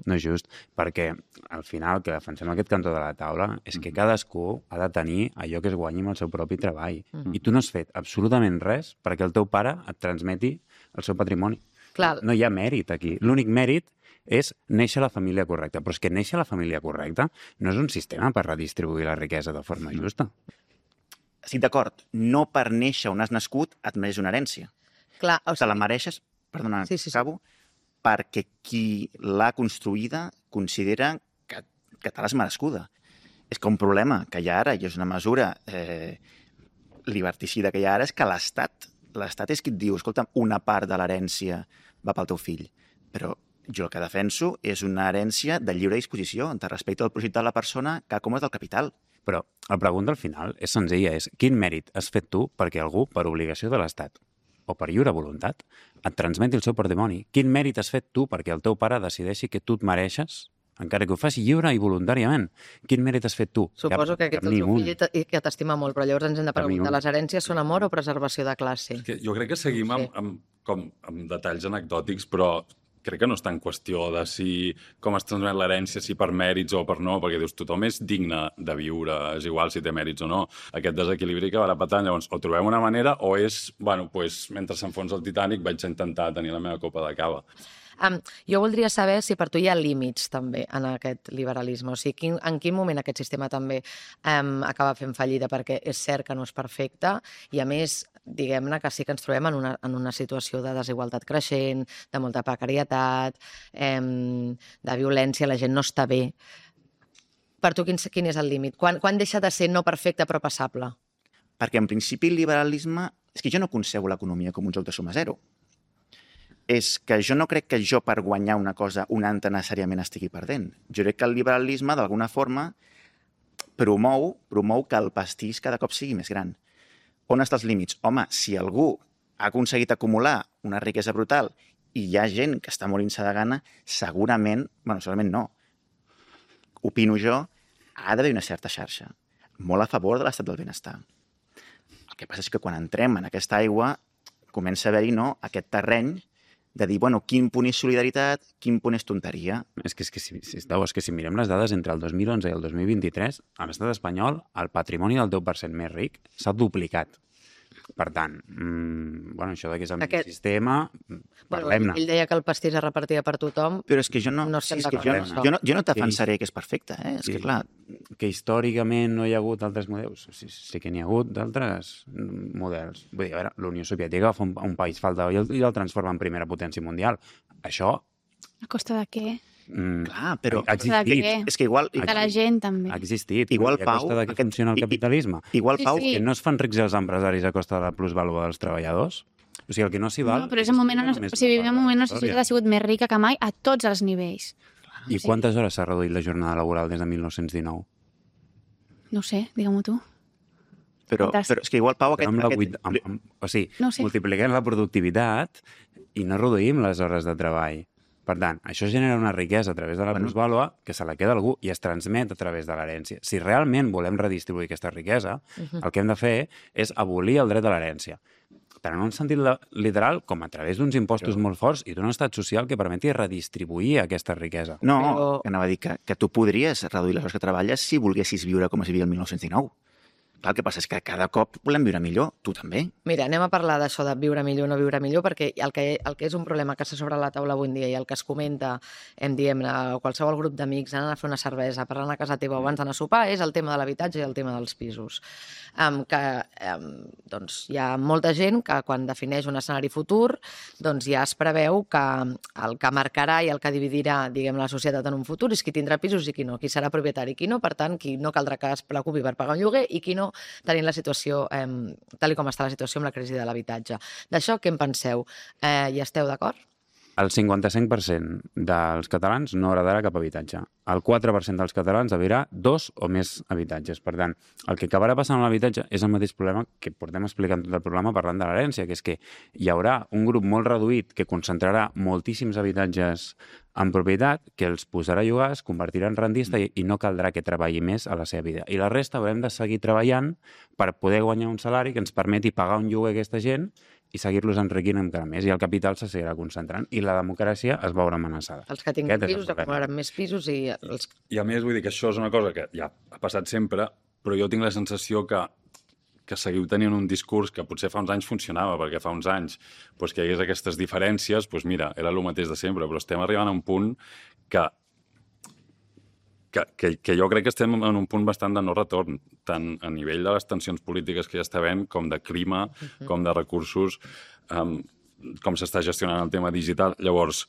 No és just, perquè al final el que defensem aquest cantó de la taula és que cadascú ha de tenir allò que es guanyi amb el seu propi treball. I tu no has fet absolutament res perquè el teu pare et transmeti el seu patrimoni. Clar. No hi ha mèrit aquí. L'únic mèrit és néixer a la família correcta. Però és que néixer a la família correcta no és un sistema per redistribuir la riquesa de forma justa. Estic d'acord. No per néixer on has nascut et mereix una herència. Clar, o sigui... Te la mereixes, perdona, Sí. acabo, perquè qui l'ha construïda considera que te l'has merescuda. És que un problema que hi ha ara, i és una mesura liberticida que hi ha ara, és que l'Estat és qui et diu, escolta, una part de l'herència va pel teu fill. Però jo el que defenso és una herència de lliure disposició, de respecte al projecte de la persona que com és del capital. Però la pregunta al final és senzilla, és quin mèrit has fet tu perquè algú, per obligació de l'Estat, o per lliure voluntat, et transmeti el seu patrimoni? Quin mèrit has fet tu perquè el teu pare decideixi que tu et mereixes, encara que ho faci lliure i voluntàriament? Quin mèrit has fet tu? Suposo que aquest és el teu fill i que t'estima molt, però llavors ens hem de preguntar, les herències són amor o preservació de classe? Jo crec que seguim amb detalls anecdòtics, però crec que no està en qüestió de com es transmet l'herència, si per mèrits o per no, perquè dius, tothom és digne de viure, és igual si té mèrits o no. Aquest desequilibri que va repetant, llavors, o trobem una manera o és, mentre s'enfonsa el Titanic vaig intentar tenir la meva copa de cava. Jo voldria saber si per tu hi ha límits també en aquest liberalisme, o sigui, en quin moment aquest sistema també acaba fent fallida, perquè és cert que no és perfecte i a més, diguem-ne que sí que ens trobem en una situació de desigualtat creixent, de molta precarietat, de violència, la gent no està bé. Per tu quin és el límit? Quan deixa de ser no perfecte però passable? Perquè en principi el liberalisme... És que jo no concebo l'economia com un joc de suma zero. És que jo no crec que jo per guanyar una cosa un altre necessàriament estigui perdent. Jo crec que el liberalisme, d'alguna forma, promou que el pastís cada cop sigui més gran. On estan els límits? Home, si algú ha aconseguit acumular una riquesa brutal i hi ha gent que està morint-se de gana, segurament no, opino jo, ha d'haver una certa xarxa, molt a favor de l'estat del benestar. El que passa és que quan entrem en aquesta aigua comença a haver-hi aquest terreny de dir, quin punt és solidaritat, quin punt és tonteria. És que si mirem les dades entre el 2011 i el 2023, a l'estat espanyol, el patrimoni del 10% més ric s'ha duplicat. Per tant, això que és el meu sistema, parlem-ne. Ell deia que el pastís es repartia per tothom. Però és que jo no defensaré que és perfecte. És que, clar... Que històricament no hi ha hagut altres models. Sí que n'hi ha hagut d'altres models. Vull dir, a veure, la Unió Soviètica fa un país falta i el transforma en primera potència mundial. Això... A costa de què? Clar, però... Ha existit. És que igual... De la gent, també. Ha existit. Igual, a costa de què funciona el capitalisme. Igual, Pau... Sí. Que no es fan rics els empresaris a costa de la plusvàlua dels treballadors? O sigui, el que no s'hi val... No, però és un moment vivim un moment on la societat ha sigut més rica que mai a tots els nivells. I quantes hores s'ha reduït la jornada laboral des de 1919? No ho sé, digue-m'ho tu. Però és que igual, Pau... multipliquem la productivitat i no reduïm les hores de treball. Per tant, això genera una riquesa a través de la plusvàlua que se la queda algú i es transmet a través de l'herència. Si realment volem redistribuir aquesta riquesa, el que hem de fer és abolir el dret de l'herència. Però en un sentit literal, com a través d'uns impostos molt forts i d'un estat social que permeti redistribuir aquesta riquesa. No, anava a dir que tu podries reduir les hores que treballes si volguessis viure com es vivia el 1919. Clar, el que passa és que cada cop volem viure millor, tu també. Mira, anem a parlar d'això de viure millor o no viure millor, perquè el que és un problema que està sobre la taula avui en dia i el que es comenta, diem, a qualsevol grup d'amics, anar a fer una cervesa, parlant a casa teva abans d'anar a sopar, és el tema de l'habitatge i el tema dels pisos. Doncs hi ha molta gent que quan defineix un escenari futur doncs ja es preveu que el que marcarà i el que dividirà, diguem, la societat en un futur és qui tindrà pisos i qui no, qui serà propietari i qui no, per tant, qui no caldrà que es preocupi per pagar un lloguer i qui no, tenint la situació, tal com està la situació amb la crisi de l'habitatge. D'això què en penseu? Hi esteu d'acord? El 55% dels catalans no agradarà cap habitatge. El 4% dels catalans haurà 2 o més habitatges. Per tant, el que acabarà passant amb l'habitatge és el mateix problema que portem explicant tot el programa parlant de l'herència, que és que hi haurà un grup molt reduït que concentrarà moltíssims habitatges en propietat, que els posarà a llogar, es convertirà en rentista i no caldrà que treballi més a la seva vida. I la resta haurem de seguir treballant per poder guanyar un salari que ens permeti pagar un lloguer a aquesta gent i seguir-los enriquint encara més, i el capital se seguirà concentrant, i la democràcia es veurà amenaçada. Els que tinguin pisos acumularan més pisos i... I a més, vull dir que això és una cosa que ja ha passat sempre, però jo tinc la sensació que seguiu tenint un discurs que potser fa uns anys funcionava, perquè fa uns anys que hi hagués aquestes diferències, doncs mira, era el mateix de sempre, però estem arribant a un punt que jo crec que estem en un punt bastant de no retorn, tant a nivell de les tensions polítiques que hi està havent, com de clima, com de recursos, com s'està gestionant el tema digital. Llavors,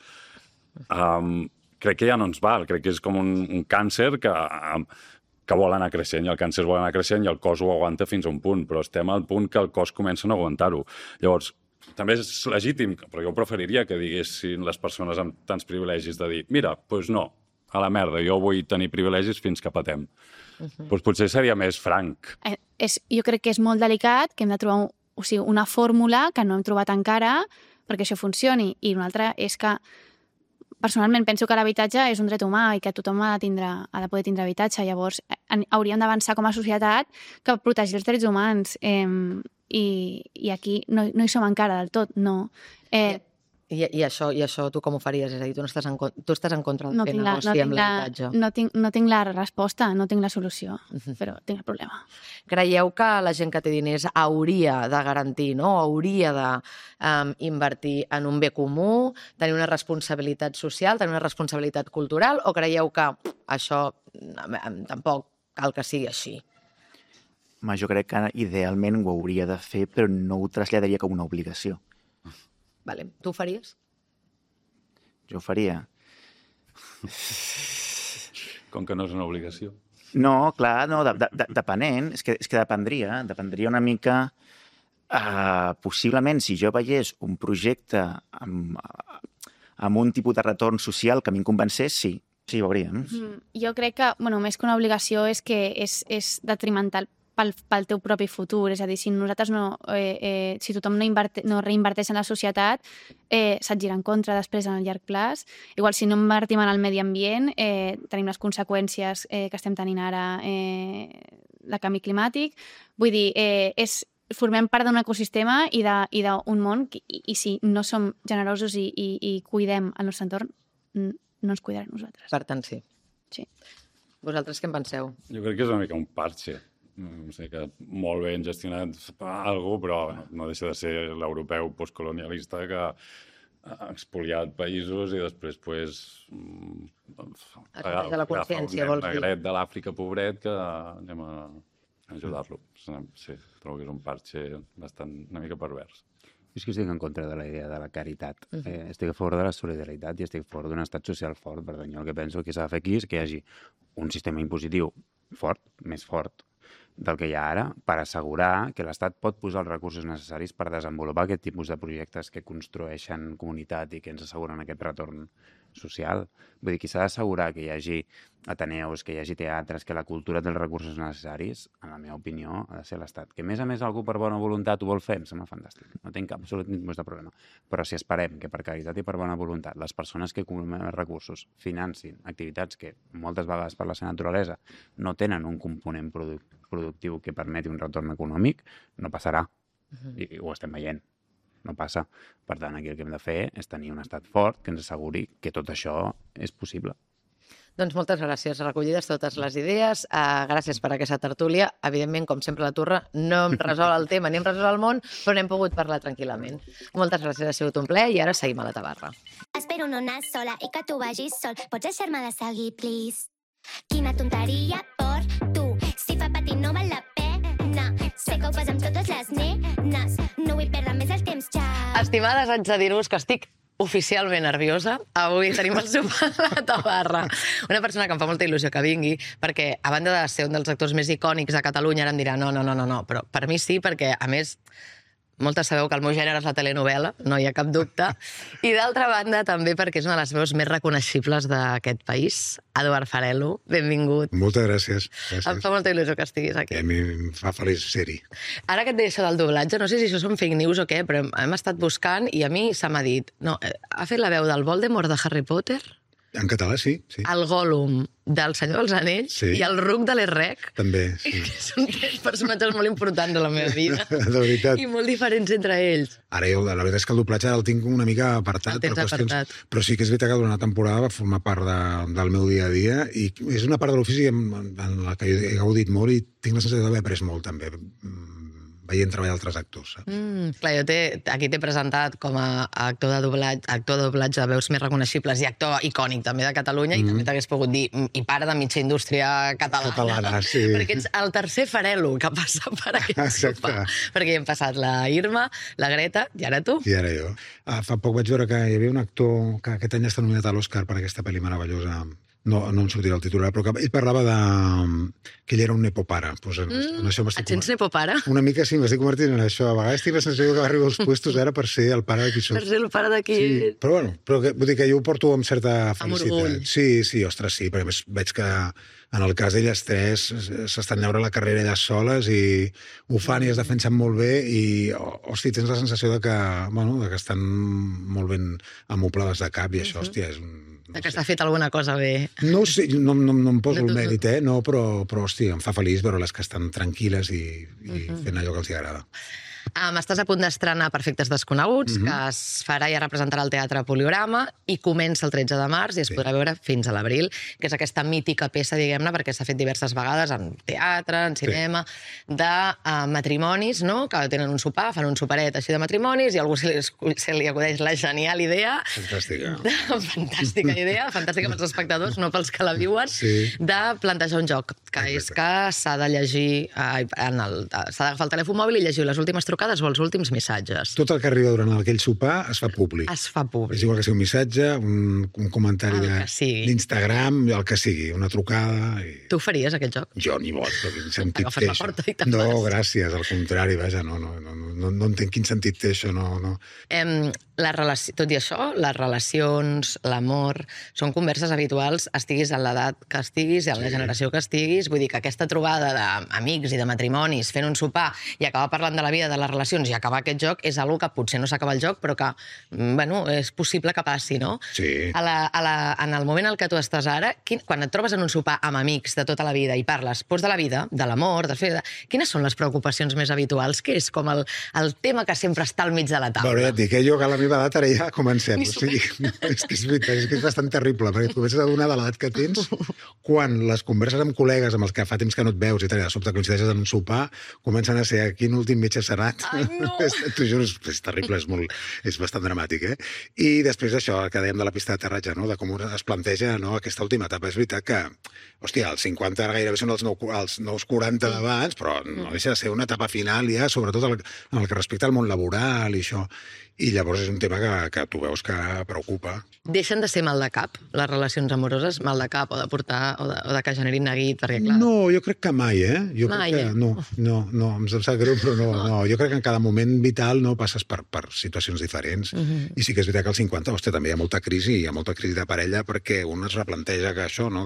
crec que ja no ens val, crec que és com un càncer que vol anar creixent, i el càncer vol anar creixent i el cos ho aguanta fins a un punt, però estem al punt que el cos comença a no aguantar-ho. Llavors, també és legítim, però jo preferiria que diguessin les persones amb tants privilegis de dir, mira, doncs no, a la merda, jo vull tenir privilegis fins que patem. Doncs potser seria més franc. Jo crec que és molt delicat, que hem de trobar una fórmula que no hem trobat encara perquè això funcioni. I una altra és que, personalment, penso que l'habitatge és un dret humà i que tothom ha de poder tindre habitatge. Llavors, hauríem d'avançar com a societat que protegir els drets humans. I aquí no hi som encara del tot, no. I això tu com ho faries? És a dir, tu estàs en contra de fer negoci amb l'habitatge. No tinc la resposta, no tinc la solució, però tinc el problema. Creieu que la gent que té diners hauria de garantir, no? Hauria d'invertir en un bé comú, tenir una responsabilitat social, tenir una responsabilitat cultural, o creieu que això tampoc cal que sigui així? Jo crec que idealment ho hauria de fer, però no ho traslladaria com una obligació. Vale. Tu ho faries? Jo ho faria. Com que no és una obligació. No, clar, no, depenent. És que dependria una mica... possiblement, si jo veiés un projecte amb un tipus de retorn social que a mi em convencés, sí, ho hauríem. Jo crec que, més que una obligació, és que és detrimental pel teu propi futur. És a dir, si nosaltres si tothom no reinverteix en la societat, se't gira en contra després en el llarg plaç. Igual, si no invertim en el medi ambient, tenim les conseqüències que estem tenint ara de canvi climàtic. Vull dir, formem part d'un ecosistema i d'un món, i si no som generosos i cuidem el nostre entorn, no ens cuidarem nosaltres. Per tant, sí. Sí. Vosaltres què en penseu? Jo crec que és una mica un parche. No sé, que molt ben gestionat alguna cosa, però no deixa de ser l'europeu postcolonialista que ha expoliat països i després de la consciència, vols dir. Negret de l'Àfrica pobret que anem a ajudar-lo. Sí, trobo que és un parche una mica pervers. És que estic en contra de la idea de la caritat. Estic a favor de la solidaritat i estic a favor d'un estat social fort. Per tant, jo el que penso que s'ha de fer aquí és que hi hagi un sistema impositiu fort, més fort del que hi ha ara, per assegurar que l'Estat pot posar els recursos necessaris per desenvolupar aquest tipus de projectes que construeixen comunitat i que ens asseguren aquest retorn social. Vull dir, qui s'ha d'assegurar que hi hagi ateneus, que hi hagi teatres, que la cultura té els recursos necessaris, en la meva opinió, ha de ser l'Estat. Que a més algú per bona voluntat ho vol fer, em sembla fantàstic. No tinc cap absolut tipus de problema. Però si esperem que per caritat i per bona voluntat les persones que acumulen els recursos financin activitats que moltes vegades per la seva naturalesa no tenen un component productiu que permeti un retorn econòmic, no passarà. I ho estem veient. No passa. Per tant, aquí el que hem de fer és tenir un estat fort que ens asseguri que tot això és possible. Doncs moltes gràcies. Recollides totes les idees. Gràcies per aquesta tertúlia. Evidentment, com sempre, la Turra no hem resolt el tema ni hem resolt el món, però n'hem pogut parlar tranquil·lament. Moltes gràcies, ha sigut un plaer i ara seguim a la tabarra. Espero no anar sola i que tu vagis sol. Pots deixar-me de seguir, please? Quina tonteria per tu. Si fa patir no val la pena. Sé que ho fas amb totes les nenes. No vull perdre més el temps, xau. Estimades, haig de dir-vos que estic oficialment nerviosa. Avui tenim el sopar a la tabarra. Una persona que em fa molta il·lusió que vingui, perquè a banda de ser un dels actors més icònics de Catalunya, ara em dirà no, però per mi sí, perquè a més moltes sabeu que el meu gènere és la telenovela, no hi ha cap dubte, i d'altra banda també perquè és una de les veus més reconeixibles d'aquest país. Eduard Farelo, benvingut. Moltes gràcies. Em fa molta il·lusió que estiguis aquí. A mi em fa feliç ser-hi. Ara que et deia això del doblatge, no sé si això són fake news o què, però hem estat buscant i a mi se m'ha dit, no, ha fet la veu del Voldemort de Harry Potter, En català, sí. el Gollum del Senyor dels Anells i el Ruc de l'Errec. També, sí. Que són tres personatges molt importants de la meva vida. De veritat. I molt diferents entre ells. Ara jo, la veritat és que el doblatge el tinc una mica apartat. El tens apartat. Però sí que és veritat que durant una temporada va formar part del meu dia a dia i és una part de l'ofici en la que he gaudit molt i tinc la sensació d'haver après molt, també, veient treballar altres actors. Clar, jo aquí t'he presentat com a actor de doblatge de veus més reconeixibles i actor icònic també de Catalunya i també t'hagués pogut dir i pare de mitja indústria catalana. Sí. Perquè ets el tercer Farelo que passa per aquest sopar. Perquè hi hem passat la Irma, la Greta i ara tu. I ara jo. Fa poc vaig veure que hi havia un actor que aquest any està nominat a l'Oscar per aquesta pel·li meravellosa. No em sortirà el titular, però ell parlava que ell era un nepopare. Pues Et sents nepopare? Una mica sí, m'estic convertint en això. A vegades tinc la sensació que arribo als puestos ara per ser el pare de qui soc. Per ser el pare de qui... Sí, però bueno, vull dir que jo ho porto amb certa felicitat. Amb orgull. Sí, ostres, sí, perquè veig que en el cas d'elles tres s'estan llaurant la carrera elles soles i ho fan i es defensen molt bé i, hosti, tens la sensació de que estan molt ben amoplades de cap i això, hòstia, és un... Que s'ha fet alguna cosa bé. No sé, no em poso el mèrit, però hòstia, em fa feliç veure les que estan tranquil·les i fent allò que els agrada. Estàs a punt d'estrenar Perfectes Desconeguts, que es farà i es representarà al Teatre Poliorama i comença el 13 de març i es podrà veure fins a l'abril, que és aquesta mítica peça, diguem-ne, perquè s'ha fet diverses vegades en teatre, en cinema, de matrimonis, no?, que tenen un sopar, fan un soparet així de matrimonis i a algú se li acudeix la genial idea... Fantàstica. Fantàstica idea, fantàstica pels espectadors, no pels que la viuen, de plantejar un joc, que és que s'ha de llegir, s'ha d'agafar el telèfon mòbil i llegir les últimes trucades o els últims missatges. Tot el que arriba durant aquell sopar es fa públic. Es fa públic. És igual que sigui un missatge, un comentari d'Instagram, el que sigui, una trucada... Tu faries aquest joc? Jo ni bot, però quin sentit té Agafes la porta i te'n vas. No, gràcies, al contrari, vaja, no entenc quin sentit té això, no. Tot i això, les relacions, l'amor, són converses habituals, estiguis en l'edat que estiguis i en la generació que estiguis. Vull dir que aquesta trobada d'amics i de matrimonis fent un sopar i acabar parlant de la vida, de les relacions i acabar aquest joc és una que potser no s'acaba el joc, però que, és possible que passi, no? Sí. En el moment en què tu estàs ara, quan et trobes en un sopar amb amics de tota la vida i parles de la vida, de l'amor, quines són les preocupacions més habituals? Què és com el tema que sempre està al mig de la taula? Bueno, ja et dic, jo que a la meva edat ara ja comencem. És que és veritat, és que és bastant terrible, perquè et comences a donar de l'edat que tens quan les converses amb col·legues amb els que fa temps que no et veus i tal, de sobte coincideixes en un sopar, comencen a ser quin últim metge serà. Ai, no! T'ho juro, és terrible, és bastant dramàtic, I després això que dèiem de la pista d'aterratge, de com es planteja aquesta última etapa. És veritat que, hòstia, els 50 ara gairebé són els nous 40 d'abans, però no deixa de ser una etapa final ja, sobretot en el que respecta al món laboral i això. I llavors és un tema que tu veus que preocupa. Deixen de ser mal de cap, les relacions amoroses, mal de cap, o de portar, o de que generin neguit, perquè clar... No, jo crec que mai, Jo mai, crec que no, em sap greu, però no. Jo crec crec que en cada moment vital no passes per situacions diferents. I sí que és veritat que als 50, hòstia, també hi ha molta crisi de parella perquè un es replanteja que això, no?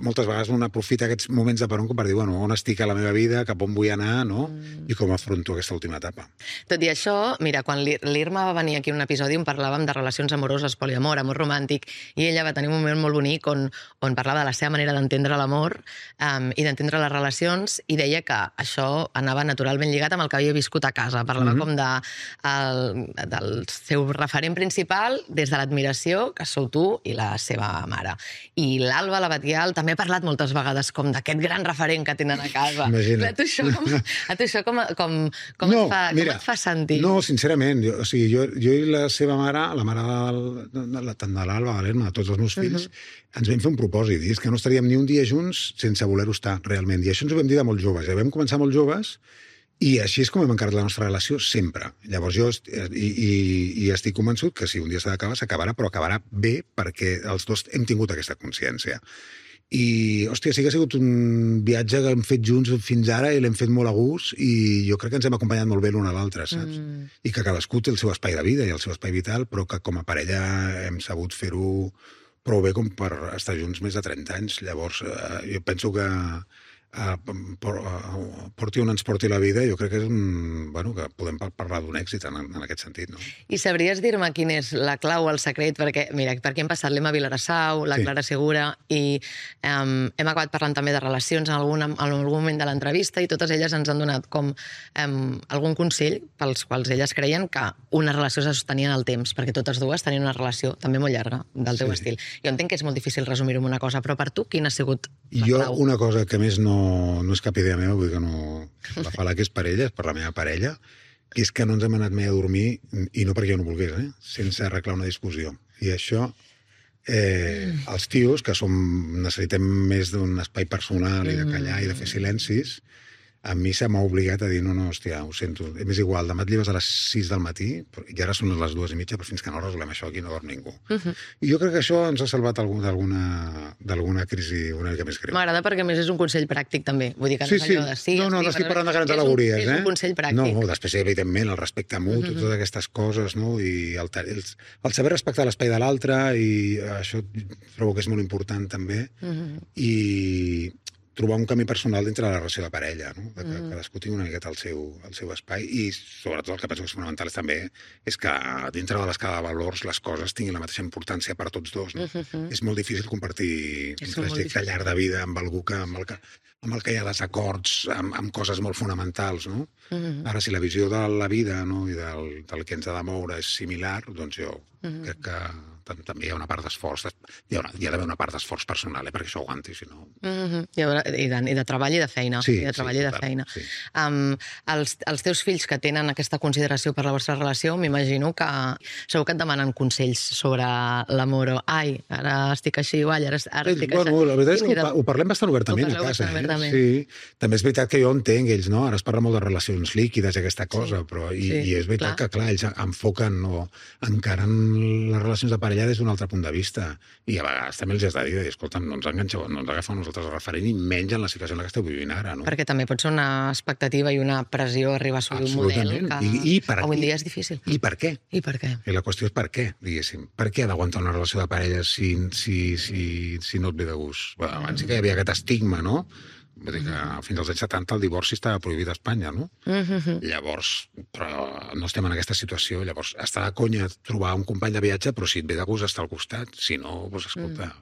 Moltes vegades un aprofita aquests moments de peron per dir, bueno, on estic a la meva vida, cap on vull anar, no? I com afronto aquesta última etapa. Tot i això, mira, quan l'Irma va venir aquí en un episodi on parlàvem de relacions amoroses, poliamor, amor romàntic, i ella va tenir un moment molt bonic on parlava de la seva manera d'entendre l'amor i d'entendre les relacions, i deia que això anava naturalment lligat amb el que havia viscut a casa. Parlava com del seu referent principal des de l'admiració, que sou tu i la seva mare. I l'Alba, la Batial, també ha parlat moltes vegades com d'aquest gran referent que tenen a casa. Imagina't. A tu això com et fa sentir? No, sincerament. Jo i la seva mare, la mare tant de l'Alba, de l'Erma, de tots els meus fills, ens vam fer un propòsit, i és que no estaríem ni un dia junts sense voler-ho estar, realment. I això ens ho vam dir de molt joves. Ja vam començar molt joves, i així és com hem encarat la nostra relació sempre. Llavors jo estic convençut que si un dia s'ha d'acabar, s'acabarà, però acabarà bé perquè els dos hem tingut aquesta consciència. I, hòstia, sí que ha sigut un viatge que hem fet junts fins ara i l'hem fet molt a gust i jo crec que ens hem acompanyat molt bé l'un a l'altre, saps? I que cadascú té el seu espai de vida i el seu espai vital, però que com a parella hem sabut fer-ho prou bé com per estar junts més de 30 anys. Llavors, jo penso que porti on ens porti la vida, jo crec que és que podem parlar d'un èxit en aquest sentit, no? I sabries dir-me quin és la clau, el secret? Perquè, mira, per aquí hem passat l'Emma Vilarassau, la Clara Segura, i hem acabat parlant també de relacions en algun moment de l'entrevista, i totes elles ens han donat com algun consell pels quals elles creien que una relació se sostenia en el temps, perquè totes dues tenien una relació també molt llarga, del teu estil. Jo entenc que és molt difícil resumir-ho en una cosa, però per tu quina ha sigut la clau? Jo, una cosa que més no és cap idea meva, vull dir que no la fa que és per ella, és per la meva parella, que és que no ens hem anat mai a dormir, i no perquè jo no volgués, sense arreglar una discussió. I això, els tios, que necessitem més d'un espai personal i de callar i de fer silencis, a mi se m'ha obligat a dir, no, hòstia, ho sento, és igual, demà et lleves a les 6 del matí, i ara són les 2:30, però fins que no resolem això aquí no dorm ningú. I jo crec que això ens ha salvat d'alguna crisi una mica més greu. M'agrada perquè, a més, és un consell pràctic, també. Vull dir que no és allò de sí... No estic parlant de grans al·legories, És un consell pràctic. No, després, evidentment, el respecte mutu, totes aquestes coses, no? I el saber respectar l'espai de l'altre, i això trobo que és molt important, també, i trobar un camí personal dintre de la relació de parella, no? Que cadascú tingui una miqueta el seu espai, i sobretot el que penso que és fonamental també és que dintre de l'escala de valors les coses tinguin la mateixa importància per a tots dos, no? És molt difícil compartir un trajecte llarg de vida amb algú amb el que hi ha desacords amb coses molt fonamentals, no? Ara, si la visió de la vida, no, i del que ens ha de moure és similar, doncs jo crec que també hi ha una part d'esforç, hi ha d'haver una part d'esforç personal, perquè això aguanti, si no... I de treball i de feina. Sí, i de treball i de feina. Els teus fills que tenen aquesta consideració per la vostra relació, m'imagino que segur que et demanen consells sobre l'amor, o ai, ara estic així, o ai, ara estic així. Bueno, la veritat és que ho parlem bastant obertament a casa. Sí. També és veritat que jo entenc ells, no? Ara es parla molt de relacions líquides i aquesta cosa, però i és veritat que, clar, ells enfoquen o encaren les relacions de parella des d'un altre punt de vista, i a vegades també els has de dir, escolta'm, no ens enganxeu, no ens agafeu nosaltres el referent, i menys en la situació en la que esteu vivint ara, no? Perquè també pot ser una expectativa i una pressió arribar a assolir un model que avui dia és difícil. I per què? I per què? I la qüestió és per què, diguéssim. Per què ha d'aguantar una relació de parella si no et ve de gust? Bueno, abans sí que hi havia aquest estigma, no? Vull dir que fins als anys 70 el divorci estava prohibit a Espanya, no? Llavors, però no estem en aquesta situació. Llavors, està de conya trobar un company de viatge, però si et ve de gust estar al costat, si no, doncs escolta...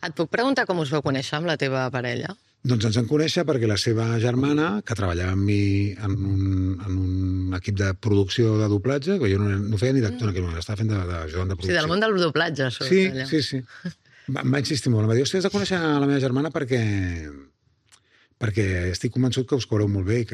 Et puc preguntar com us vau conèixer amb la teva parella? Doncs ens vam conèixer perquè la seva germana, que treballava amb mi en un equip de producció de doblatge, que jo no feia ni d'actor en aquell moment, estava fent d'ajudant de producció. Sí, del món del doblatge. Sí. Em va insistir molt. Em va dir, hòstia, has de conèixer la meva germana perquè estic convençut que us cobreu molt bé i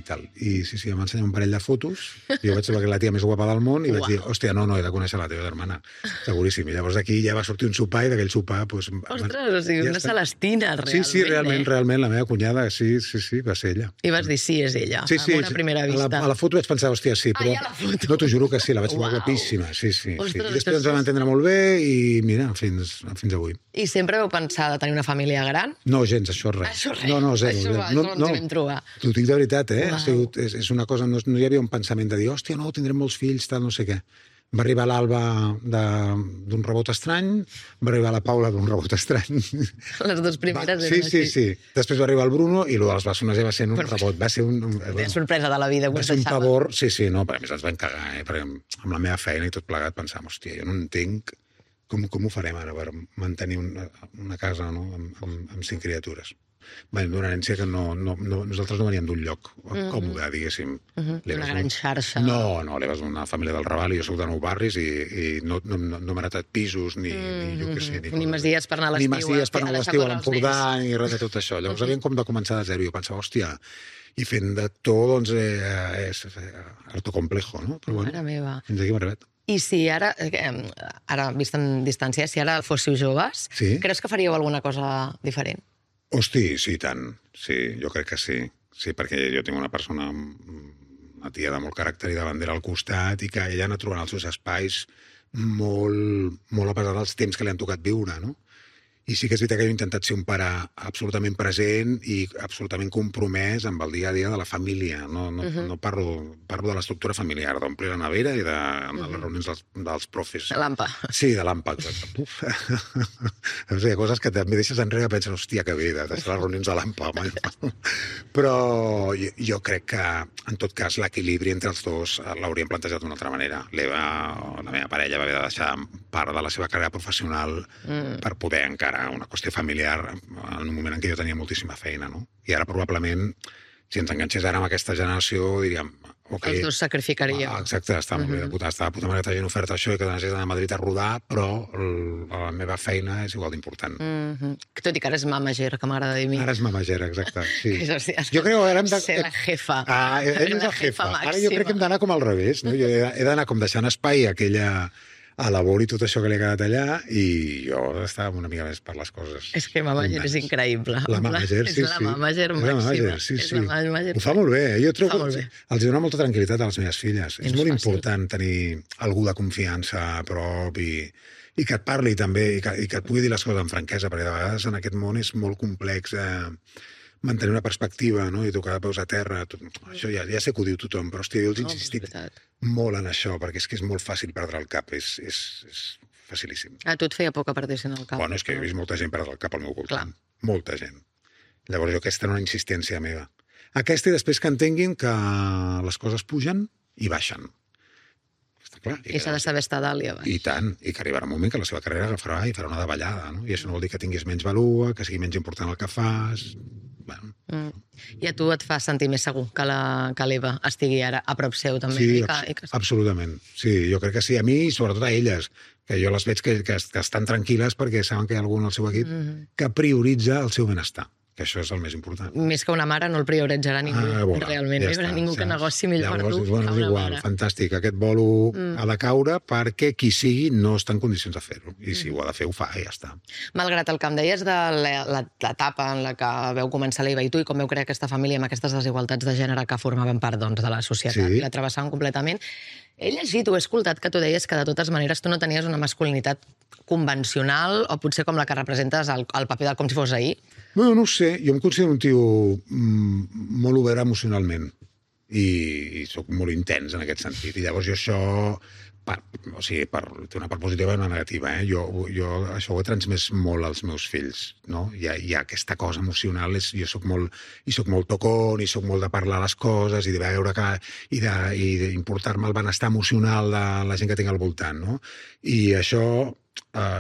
tal. I sí, em va ensenyar un parell de fotos, jo vaig saber que la tia més guapa del món, i vaig dir, hòstia, no, he de conèixer la teva germana, seguríssim. I llavors d'aquí ja va sortir un sopar, i d'aquell sopar... Ostres, o sigui, una Celestina, realment. Sí, realment, la meva cunyada, sí, va ser ella. I vas dir, sí, és ella, amb una primera vista. A la foto vaig pensar, hòstia, sí, però... No, t'ho juro que sí, la vaig trobar guapíssima, sí. I després ens vam entendre molt bé, i mira, fins avui. I sempre vau pensar de tenir una família gran? No, gens, això res. No, No, zero. Això ens hi vam trobar. T'ho dic de veritat, Uau. Ha sigut, és una cosa, no hi havia un pensament de dir, hòstia, no, tindrem molts fills, tal, no sé què. Va arribar l'Alba d'un rebot estrany, va arribar la Paula d'un rebot estrany. Les dues primeres eren així. Sí. Després va arribar el Bruno i el de les bessones ja va ser un rebot. Va ser La sorpresa de la vida, va ser un pavor, no, perquè a més ens vam cagar, perquè amb la meva feina i tot plegat pensàvem, hòstia, jo no entenc com ho farem ara per mantenir una casa, no?, amb 5 criatures. D'una herència que nosaltres no veníem d'un lloc còmode, diguéssim. Una gran xarxa. No, l'Eva és una família del Raval i jo soc de Nou Barris i no hem heretat pisos ni jo què sé. Ni masies per anar a l'estiu. Ni masies per anar a l'estiu a l'Empordà ni res de tot això. Llavors havíem com de començar de zero i jo pensava, hòstia, i fent de tot, doncs, és harto complejo, no? Però bueno, Mare meva. fins aquí hem arribat. I si ara vist en distància, si ara fóssiu joves, creus que faríeu alguna cosa diferent? Hosti, sí, tant. Sí, jo crec que sí. Sí, perquè jo tinc una persona, una tia de molt caràcter i de bandera al costat i que ella ha anat trobant els seus espais molt a pesar dels temps que li han tocat viure, no? I sí que és veritat que jo he intentat ser un pare absolutament present i absolutament compromès amb el dia a dia de la família. No parlo de l'estructura familiar, d'omplir la nevera i de les reunions dels profes. De l'AMPA. Sí, de l'AMPA, exacte. O sigui, coses que també deixes enrere i penses, hòstia, que bé, de deixar les reunions a l'AMPA. Però jo crec que, en tot cas, l'equilibri entre els dos l'hauríem plantejat d'una altra manera. L'Eva, la meva parella, va haver de deixar part de la seva carrera professional per poder encara una qüestió familiar en un moment en què jo tenia moltíssima feina, no? I ara probablement, si ens enganxés ara amb aquesta generació, diríem... Okay, els dos sacrificaríeu. Exacte, està molt bé de puta mare que t'hagin ofert això i que t'hagis d'anar a Madrid a rodar, però la meva feina és igual d'important. Tot i que ara és mamager, que m'agrada dir a mi. Ara és mamager, exacte, sí. Jo crec que ara hem de... Ser la jefa. Ell és la jefa. Ara jo crec que hem d'anar com al revés, no? Jo he d'anar com deixant espai a aquella... a labor i tot això que li ha quedat allà i jo estava una mica més per les coses. És que mamager és increïble. La mamager, sí. És la mamager màxima. És la mamager. Ho fa molt bé. Jo trobo que els dona molta tranquil·litat a les meves filles. És molt important tenir algú de confiança a prop i que et parli també i que et pugui dir les coses amb franquesa, perquè de vegades en aquest món és molt complex mantenir una perspectiva, no? I tocar de peus a terra. Això ja sé que ho diu tothom, però hòstia, jo els he insistit molt en això, perquè és que és molt fàcil perdre el cap, és facilíssim. A tu et feia por que perdessin el cap? Bueno, és que he vist molta gent perdre el cap al meu voltant. Molta gent. Llavors jo aquesta era una insistència meva. Aquesta i després que entenguin que les coses pugen i baixen. Està clar. I s'ha de saber estar dalt i a baix. I tant, i que arribarà un moment que la seva carrera agafarà i farà una davallada, no? I això no vol dir que tinguis menys valua, que sigui menys important el que fas... Bueno. I a tu et fa sentir més segur que l'Eva estigui ara a prop seu també? Sí, absolutament. Sí, jo crec que sí. A mi i sobretot a elles, que jo les veig que estan tranquil·les perquè saben que hi ha algú en el seu equip que prioritza el seu benestar, que això és el més important. Més que una mare no el prioritzarà ningú, realment. No hi haurà ningú que negoci millor per tu que una mare. Fantàstic, aquest bolo ha de caure perquè qui sigui no està en condicions de fer-ho. I si ho ha de fer, ho fa i ja està. Malgrat el que em deies de l'etapa en la que veu començar l'Eva i tu i com veu crear aquesta família amb aquestes desigualtats de gènere que formaven part de la societat i la travessaven completament, he llegit o he escoltat que tu deies que de totes maneres tu no tenies una masculinitat convencional o potser com la que representes el paper del com si fos ahir? No ho sé. Jo em considero un tio molt obert emocionalment i soc molt intens en aquest sentit. I llavors jo això, té una part positiva i una negativa. Jo això ho he transmès molt als meus fills. No? Hi ha aquesta cosa emocional. Jo soc molt tocón i soc molt de parlar les coses i de veure i d'importar-me el benestar emocional de la gent que tinc al voltant. No? I això...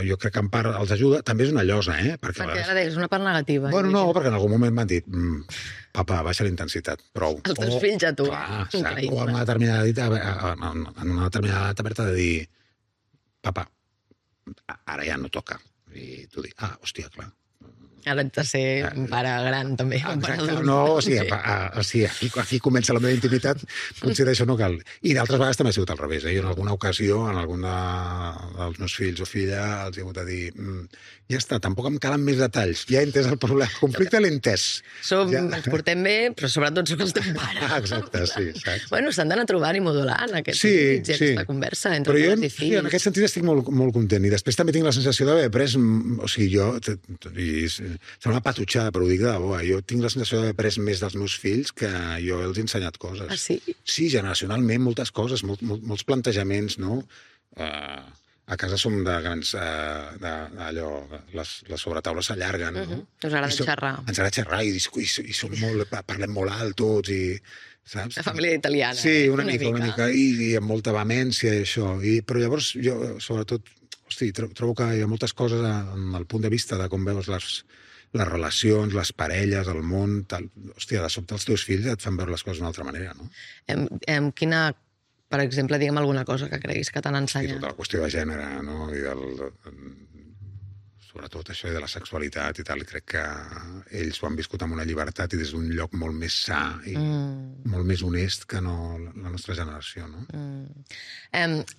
jo crec que en part els ajuda. També és una llosa, perquè ara deies una part negativa. Bueno, no, perquè en algun moment m'han dit papa, baixa la intensitat, prou. Els teus fills a tu. Clar, o en una determinada etapa de dir papa, ara ja no toca. I tu dius, hòstia, clar. Ara ets de ser un pare gran, també. Exacte. No, o sigui, aquí comença la meva intimitat, potser d'això no cal. I d'altres vegades també ha sigut al revés. Jo en alguna ocasió, en algun dels meus fills o filla, els he hagut de dir ja està, tampoc em calen més detalls. Ja he entès el problema. El conflicte l'he entès. Ens portem bé, però sobretot sóc el teu pare. Exacte, sí. Exacte. Bueno, s'han d'anar trobant i modulant aquesta conversa entre pares i fills. En aquest sentit estic molt content. I després també tinc la sensació d'haver après... O sigui, jo... Sembla una patutxada, però ho dic de debò. Jo tinc la sensació d'haver après més dels meus fills que jo els he ensenyat coses. Ah, sí? Sí, generacionalment, moltes coses, molts plantejaments, no? A casa som de grans... allò, les sobretaules s'allarguen, no? Us agrada xerrar. Ens agrada xerrar i som molt... Parlem molt alt tots i... Saps? La família italiana. Sí, una mica. I amb molta vehemència i això. Però llavors jo, sobretot, trobo que hi ha moltes coses en el punt de vista de com veus les relacions, les parelles, el món... Hòstia, de sobte els teus fills et fan veure les coses d'una altra manera, no? Quina, per exemple, digue'm alguna cosa que creguis que t'han I ensenyat? tota la qüestió de gènere, no? I sobretot això de la sexualitat i tal, crec que ells ho han viscut amb una llibertat i des d'un lloc molt més sa i molt més honest que no la nostra generació, no?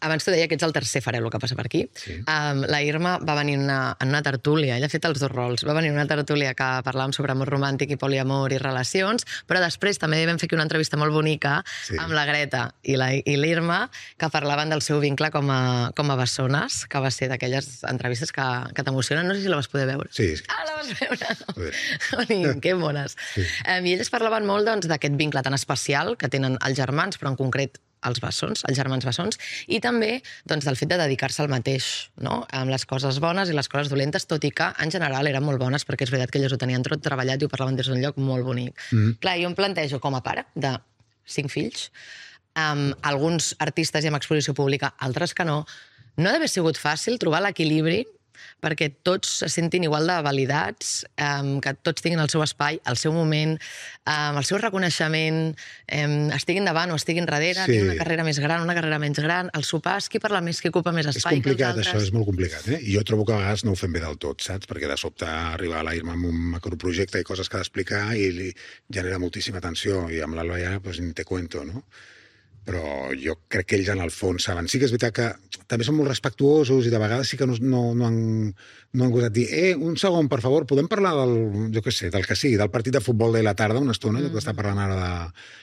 Abans t'ho deia que ets el tercer farelo que passa per aquí. Sí. La Irma va venir en una tertúlia, ella ha fet els dos rols, va venir en una tertúlia que parlàvem sobre amor romàntic i poliamor i relacions, però després també vam fer una entrevista molt bonica amb la Greta i l'Irma, que parlaven del seu vincle com a bessones, que va ser d'aquelles entrevistes que t'emocionen. No sé si la vas poder veure. Sí. Ah, la vas veure! Que mones. Sí. I elles parlaven molt d'aquest vincle tan especial que tenen els germans, però en concret els bessons, els germans bessons, i també del fet de dedicar-se al mateix, no? Amb les coses bones i les coses dolentes, tot i que en general eren molt bones, perquè és veritat que elles ho tenien tot treballat i ho parlaven des d'un lloc molt bonic. Clar, jo em plantejo com a pare de 5 fills, alguns artistes i amb exposició pública, altres que no ha d'haver sigut fàcil trobar l'equilibri perquè tots se sentin igual de validats, que tots tinguin el seu espai, el seu moment, el seu reconeixement, estiguin davant o estiguin darrere, tinguin una carrera més gran, una carrera menys gran, el sopar és qui parla més, qui ocupa més espai que els altres. És complicat, això és molt complicat, I jo trobo que a vegades no ho fem bé del tot, saps? Perquè de sobte arriba a l'Irma amb un macroprojecte i coses que ha d'explicar i li genera moltíssima tensió, i amb l'Alba ja, pues, ni te cuento, no? Però jo crec que ells en el fons saben. Sí que és veritat que també són molt respectuosos i de vegades sí que no han gosat dir un segon, per favor, podem parlar del que sigui, del partit de futbol de la tarda una estona, que està parlant ara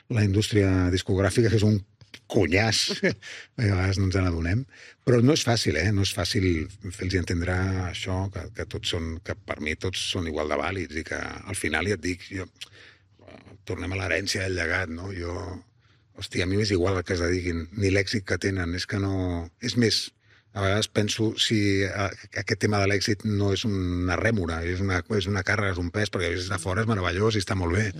de la indústria discogràfica, que és un cunyàs, a vegades no ens n'adonem, però no és fàcil, no és fàcil fer-los entendre això, que per mi tots són igual de vàlids i que al final, ja et dic, tornem a l'herència del llegat, no? Hòstia, a mi m'és igual el que es dediquin, ni l'èxit que tenen, és que no... És més, a vegades penso si aquest tema de l'èxit no és una rèmora, és una càrrega, és un pes, perquè des de fora és meravellós i està molt bé.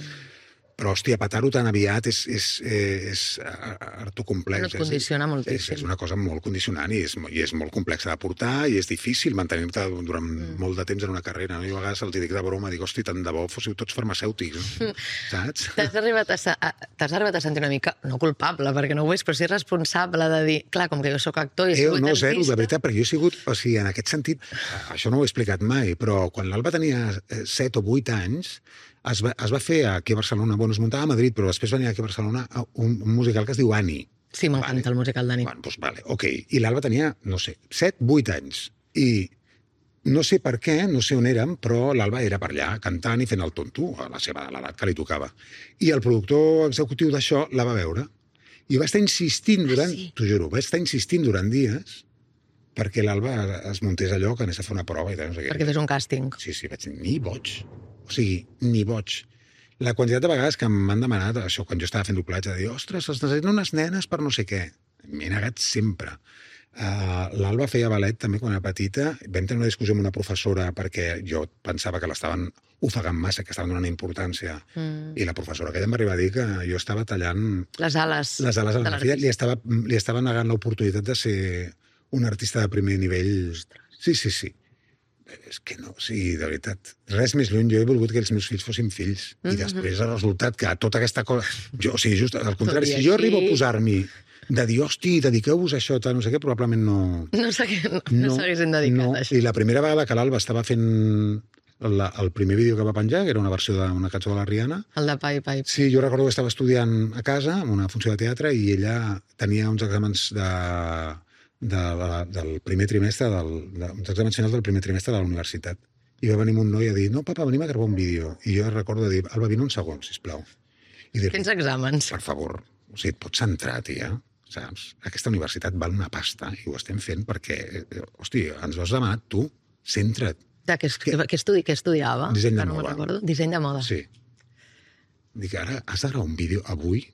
Però, hòstia, petar-ho tan aviat és hartocomplex. No et condiciona moltíssim. És una cosa molt condicionant i és molt complexa de portar i és difícil mantenir-te durant molt de temps en una carrera. Jo a vegades els dic de broma, dic, hosti, tant de bo fóssiu tots farmacèutics, saps? T'has arribat a sentir una mica, no culpable, perquè no ho és, però sí responsable de dir, clar, com que jo sóc actor i he sigut artista... Zero, de veritat, perquè jo he sigut... O sigui, en aquest sentit, això no ho he explicat mai, però quan l'Alba tenia 7 o 8 anys, es va fer aquí a Barcelona, es muntava a Madrid, però després venia aquí a Barcelona un musical que es diu Annie. Sí, m'encanta el musical d'Annie. Doncs vale, ok. I l'Alba tenia, no sé, 7, 8 anys. I no sé per què, no sé on érem, però l'Alba era per allà, cantant i fent el tonto, a l'edat que li tocava. I el productor executiu d'això la va veure. I va estar insistint t'ho juro, va estar insistint durant dies perquè l'Alba es muntés allò, que anés a fer una prova i tal, no sé què. Perquè fes un càsting. Sí, vaig dir, ni boig. O sigui, ni boig. La quantitat de vegades que m'han demanat això, quan jo estava fent doblatge, de dir, ostres, es necessiten unes nenes per no sé què. M'he negat sempre. L'Alba feia ballet també quan era petita. Vam tenir una discussió amb una professora perquè jo pensava que l'estaven ofegant massa, que estaven donant importància. I la professora aquella em va arribar a dir que jo estava tallant... Les ales a la meva filla. Li estava negant l'oportunitat de ser un artista de primer nivell. Sí. És que no, sí, de veritat. Res més lluny, jo he volgut que els meus fills fossin fills. I després ha resultat que tota aquesta cosa... Jo, o sigui, just al contrari, si jo arribo a posar-m'hi de dir, hosti, dediqueu-vos a això, no sé què, probablement no... No s'haguessin dedicat a això. I la primera vegada que l'Alba estava fent el primer vídeo que va penjar, que era una versió d'una cançó de la Rihanna... El de Pai Pai. Sí, jo recordo que estava estudiant a casa, en una funció de teatre, i ella tenia uns exàmens del primer trimestre, uns exàmens finals del primer trimestre de la universitat. I va venir un noi a dir, no, papa, venim a gravar un vídeo. I jo recordo de dir, Alba, vine un segon, sisplau. Tens exàmens. Per favor, o sigui, et pots centrar, tia, saps? Aquesta universitat val una pasta i ho estem fent perquè, hosti, ens ho has demanat tu, centra't. Què estudiava? Disseny de Que no moda. me'n recordo. Disseny de moda. Sí. Dic, ara has de gravar un vídeo avui?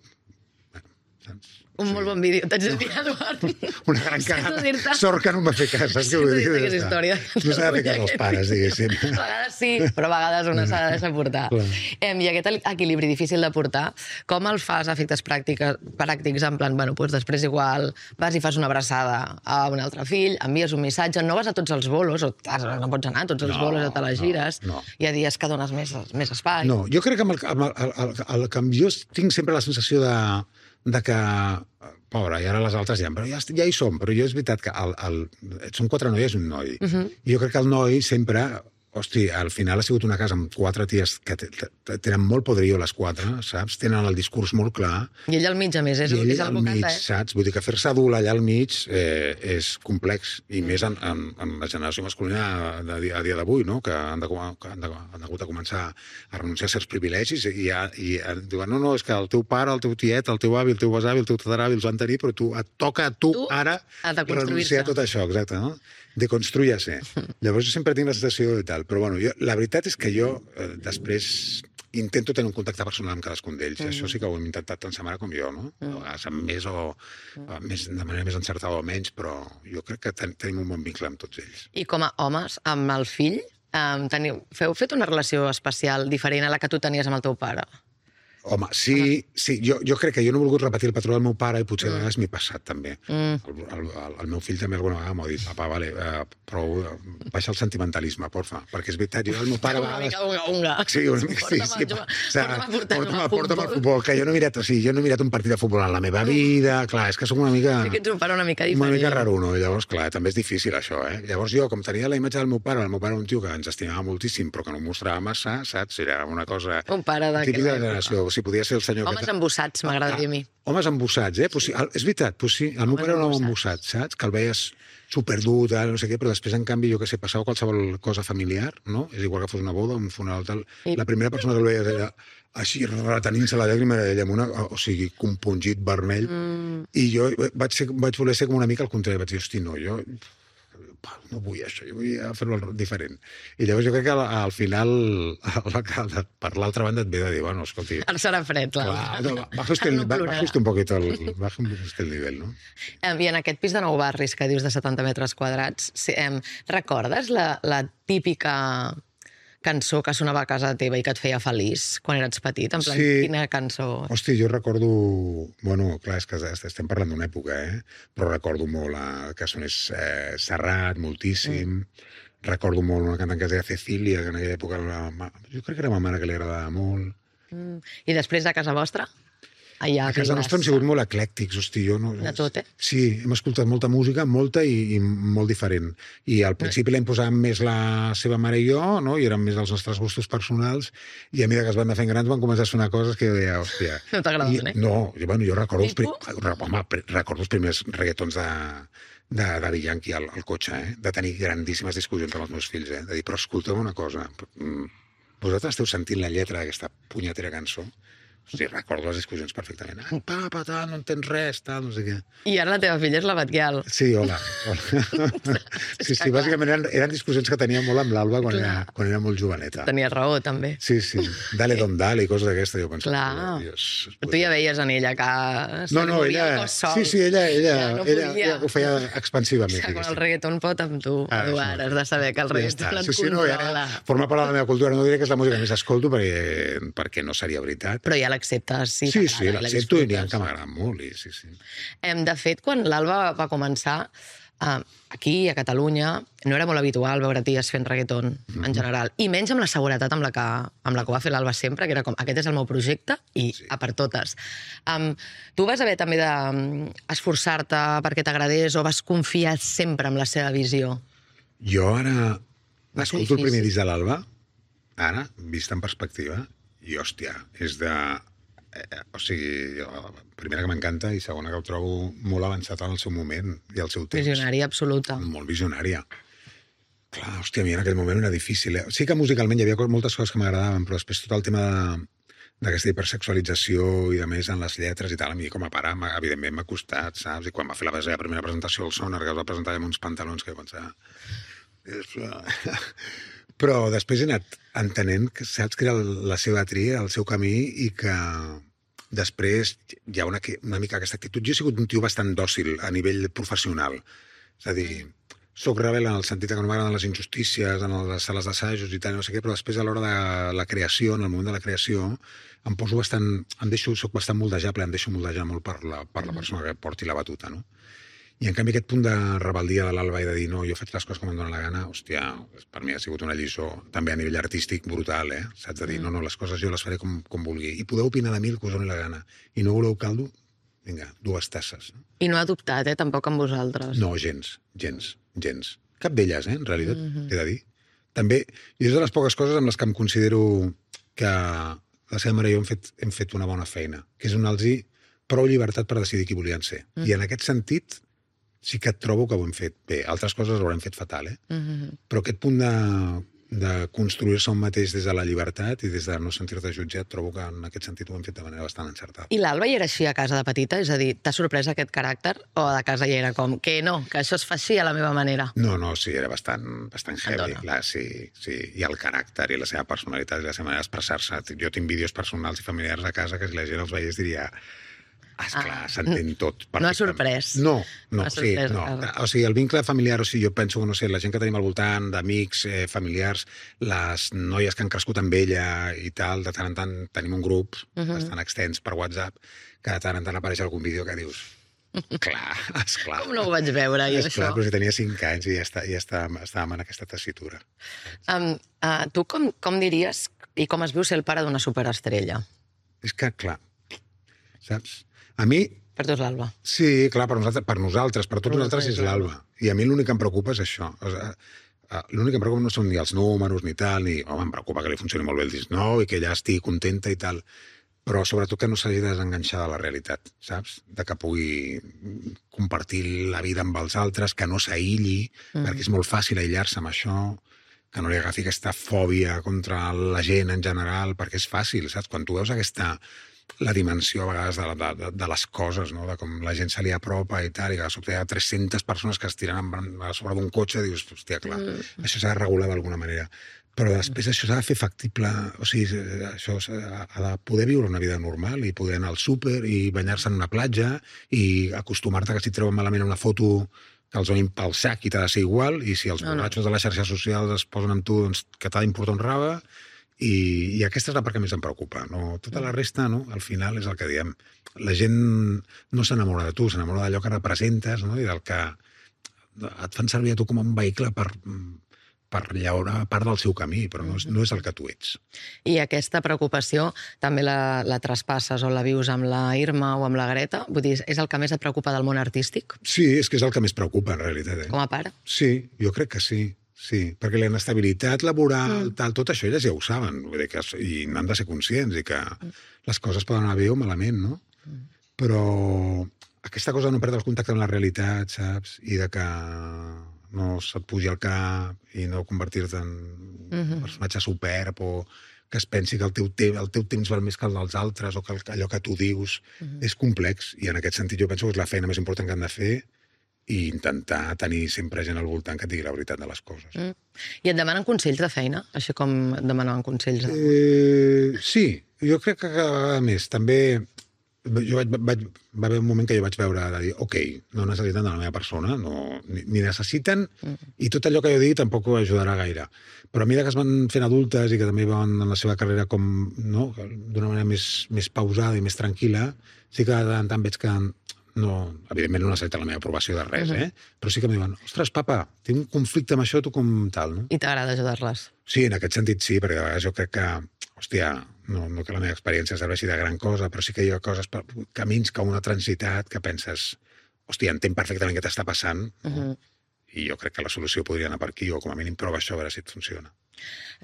Bueno, saps? Un molt bon vídeo, t'haig de dir, Eduard. Una gran Sento cagada. dir-te. Sort que no em va fer cas, saps què vull dir? Sento dir aquesta història. No s'ha de fer cas als pares, diguéssim. A vegades sí, però a vegades una s'ha de deixar portar. Clar. I aquest equilibri difícil de portar, com el fas a efectes pràctics, en plan, bueno, doncs després igual vas i fas una abraçada a un altre fill, envies un missatge, no vas a tots els bolos, o no pots anar a tots els bolos, a te les gires, no. Hi ha dies que dones més espai. No, jo crec que amb el jo tinc sempre la sensació de que, pobre, i ara les altres però ja hi som, però jo és veritat que són 4 noies i un noi. I jo crec que el noi sempre, hosti, al final ha sigut una casa amb 4 ties que tenen molt poderío les 4, saps? Tenen el discurs molt clar. I ell al mig, a més, és I ell el al mig, saps? Vull dir que fer-se adult allà al mig és complex, i més en la generació masculina a dia d'avui, no? Que han hagut de començar a renunciar a certs privilegis i diuen, no, és que el teu pare, el teu tiet, el teu avi, el teu besavi, el teu tataravi els van tenir, però et toca a tu ara renunciar a tot això, exacte, no? De construir-se. Llavors jo sempre tinc la sensació de tal, però bueno, la veritat és que jo després intento tenir un contacte personal amb cadascun d'ells. Això sí que ho hem intentat tant sa mare com jo, no? A vegades amb més de manera més encertada o menys, però jo crec que tenim un bon vincle amb tots ells. I com a homes, amb el fill, heu fet una relació especial diferent a la que tu tenies amb el teu pare? Home, sí, jo crec que jo no he volgut repetir el patró del meu pare i potser a vegades m'he passat, també. El meu fill també alguna vegada m'ha dit, papa, vale, prou, baixa el sentimentalisme, porfa, perquè és veritat, jo el meu pare... Una mica unga. Sí, una mica, sí. Porta'm al futbol, que jo no he mirat un partit de futbol en la meva vida, clar, és que som una mica... Sí que ets un pare una mica diferent. Una mica raro, no? Llavors, clar, també és difícil això, Llavors jo, com tenia la imatge del meu pare un tio que ens estimava moltíssim, però que no ho mostrava massa, saps? Era una cosa... Un pare típica de generació. Si podia ser el senyor... Homes embussats, m'agrada dir a mi. Homes embussats, Pues sí, és veritat, pues sí. El meu pare era un home embussat, saps? Que el veies superdur, no sé què, però després, en canvi, jo que sé, passava qualsevol cosa familiar, no? És igual que fos una boda, un funeral, tal. La primera persona que el veies era així, retenint-se la llàgrima, era ella, o sigui, compungit, vermell. I jo vaig voler ser com una mica al contrari. Vaig dir, hosti, no, jo no vull això, jo vull fer-ho diferent. I llavors jo crec que al final, per l'altra banda, et ve de dir, bueno, escolti... Ara serà fred, clar. Baja usted un poquito el nivell, no? I en aquest pis de 9 barris que dius de 70 metres quadrats, recordes la típica cançó que sonava a casa teva i que et feia feliç quan eres petit? En plan, quina cançó? Hosti, jo recordo... Bueno, clar, és que estem parlant d'una època, però recordo molt que sonés Serrat, moltíssim. Recordo molt una cantant que es deia Cecília, que en aquella època jo crec que era ma mare que li agradava molt. I després de casa vostra? A casa nostra hem sigut molt eclèctics, hosti, jo no... De tot, Sí, hem escoltat molta música, molta i molt diferent. I al principi la imposàvem més la seva mare i jo, no? I eren més els nostres gustos personals, i a mesura que es van anar fent grans van començar a sonar coses que jo deia, hòstia... No t'agradaven, No, jo recordo els primers reggaetons de Daddy Yankee al cotxe, de tenir grandíssimes discussions amb els meus fills, de dir, però escolteu una cosa, vosaltres esteu sentint la lletra d'aquesta punyetera cançó? Sí, recordo les discussions perfectament. Papa, tal, no entens res, tal, no sé què. I ara la teva filla és la Batguial. Sí, hola. Sí, bàsicament eren discussions que tenia molt amb l'Alba quan era molt joveneta. Tenia raó, també. Sí, dale don dale i coses d'aquesta, jo pensava. Clar. Tu ja veies en ella que no, ella... Sí, ella ho feia expansivament. Quan el reggaeton pot amb tu, Eduard, has de saber que el reggaeton et controla. Forma part de la meva cultura. No diré que és la música que més escolto perquè no seria veritat. Però ja l'acceptes, sí. Sí, l'accepto i n'hi ha que m'agraden molt, sí. De fet, quan l'Alba va començar, aquí, a Catalunya, no era molt habitual veure-ties fent reggaeton, en general, i menys amb la seguretat amb la que ho va fer l'Alba sempre, que era com, aquest és el meu projecte i a per totes. Tu vas haver també d'esforçar-te perquè t'agradés o vas confiar sempre en la seva visió? Jo ara escolto el primer disc de l'Alba, ara, vist en perspectiva, i, hòstia, és de... O sigui, primera que m'encanta i segona que ho trobo molt avançat en el seu moment i al seu temps. Visionària absoluta. Molt visionària. Clar, hòstia, a mi en aquell moment era difícil. Sí que musicalment hi havia moltes coses que m'agradaven, però després tot el tema d'aquesta hipersexualització i de més en les lletres i tal, a mi com a pare, evidentment m'ha costat, saps? I quan va fer la primera presentació al Sonar, que es va presentar amb uns pantalons que jo pensava... Però després he anat entenent que saps que era la seva tria, el seu camí, i que després hi ha una mica aquesta actitud. Jo he sigut un tio bastant dòcil a nivell professional. És a dir, soc rebel en el sentit que no m'agraden les injustícies en les sales d'assajos i tal, no sé què, però després a l'hora de la creació, en el moment de la creació, em poso bastant... soc bastant moldejable, em deixo moldejar molt per la persona que porti la batuta, no? I en canvi aquest punt de rebel·lia de l'Alba i de dir no, jo faig les coses com em dóna la gana, hòstia, per mi ha sigut una lliçó també a nivell artístic brutal, saps? De dir, no, les coses jo les faré com vulgui. I podeu opinar de mi el que us doni la gana. I no voleu caldo? Vinga, 2 tasses. I no ha dubtat, tampoc amb vosaltres. No, gens. Cap d'elles, en realitat, he de dir. També, i és de les poques coses amb les que em considero que la seva mare i jo hem fet una bona feina, que és donar-los prou llibertat per decidir qui volien ser. I en aquest sentit sí que et trobo que ho hem fet bé. Altres coses ho haurem fet fatal, Però aquest punt de construir-se un mateix des de la llibertat i des de no sentir-te jutjat, trobo que en aquest sentit ho hem fet de manera bastant encertada. I l'Alba hi era així a casa de petita? És a dir, t'ha sorprès aquest caràcter? O de casa hi era com, que no, que això es fa així a la meva manera? No, sí, era bastant heavy. Clar, sí. I el caràcter i la seva personalitat i la seva manera d'expressar-se. Jo tinc vídeos personals i familiars a casa que si la gent els veiés diria... Esclar, s'entén tot. No ha sorprès. No. O sigui, el vincle familiar, o sigui, jo penso, no sé, la gent que tenim al voltant, d'amics, familiars, les noies que han crescut amb ella i tal, de tant en tant tenim un grup bastant extens per WhatsApp, que de tant en tant apareix algun vídeo que dius... Esclar. Com no ho vaig veure, jo, això? Esclar, però si tenia 5 anys i ja estàvem en aquesta tessitura. Tu com diries i com es viu ser el pare d'una superestrella? És que, clar, saps? A mi... Per tu és l'Alba. Sí, clar, per nosaltres, per tots nosaltres és l'Alba. I a mi l'únic que em preocupa és això. L'únic que em preocupa no són ni els números ni tal, ni... Home, em preocupa que li funcioni molt bé el disc nou i que ella estigui contenta i tal, però sobretot que no s'hagi de desenganxar de la realitat, saps? De que pugui compartir la vida amb els altres, que no s'aïlli, perquè és molt fàcil aïllar-se amb això, que no li agafi aquesta fòbia contra la gent en general, perquè és fàcil, saps? Quan tu veus la dimensió a vegades de les coses, no? De com la gent se li apropa i tal, i que de sobte hi ha 300 persones que es tiren a sobre d'un cotxe, i dius, hòstia, clar, això s'ha de regular d'alguna manera. Però després això s'ha de fer factible, o sigui, això ha de poder viure una vida normal i poder anar al súper i banyar-se en una platja i acostumar-te que si treuen malament una foto que els donin pel sac i t'ha de ser igual, i si els borratxos de les xarxes socials es posen amb tu, doncs que t'ha d'importar un rave. I aquesta és la part que més em preocupa. No? Tota la resta, no? Al final, és el que diem. La gent no s'enamora de tu, s'enamora d'allò que representes, no? I del que et fan servir a tu com un vehicle per llaurar part del seu camí, però no és el que tu ets. I aquesta preocupació també la traspasses o la vius amb la Irma o amb la Greta? Vull dir, és el que més et preocupa del món artístic? Sí, és que és el que més preocupa, en realitat. Com a pare? Sí, jo crec que sí. Sí, perquè la inestabilitat laboral, tot això elles ja ho saben, vull dir i n'han de ser conscients, i que les coses poden anar bé o malament, no? Però aquesta cosa de no perdre el contacte amb la realitat, saps? I de que no se't pugi al cap i no convertir-te en un personatge superb, o que es pensi que el teu temps val més que el dels altres, o que allò que tu dius és complex, i en aquest sentit jo penso que és la feina més important que han de fer, i intentar tenir sempre gent al voltant que et digui la veritat de les coses. I et demanen consells de feina? Així com et demanaven consells de... Sí, jo crec que cada vegada més. També va haver un moment que jo vaig veure de dir, ok, no necessiten de la meva persona, ni necessiten, i tot allò que jo digui tampoc ho ajudarà gaire. Però a mesura que es van fent adultes i que també van en la seva carrera d'una manera més pausada i més tranquil·la, sí que de tant en tant veig que no, evidentment no necessita la meva aprovació de res, però sí que em diuen, ostres, papa, tinc un conflicte amb això, tu com tal, no? I t'agrada ajudar-les? Sí, en aquest sentit sí, perquè a vegades jo crec que, hòstia, no que la meva experiència serveixi de gran cosa, però sí que hi ha coses, camins que una transitat que penses, hòstia, entenc perfectament què t'està passant, i jo crec que la solució podria anar per aquí, o com a mínim prova això a veure si et funciona.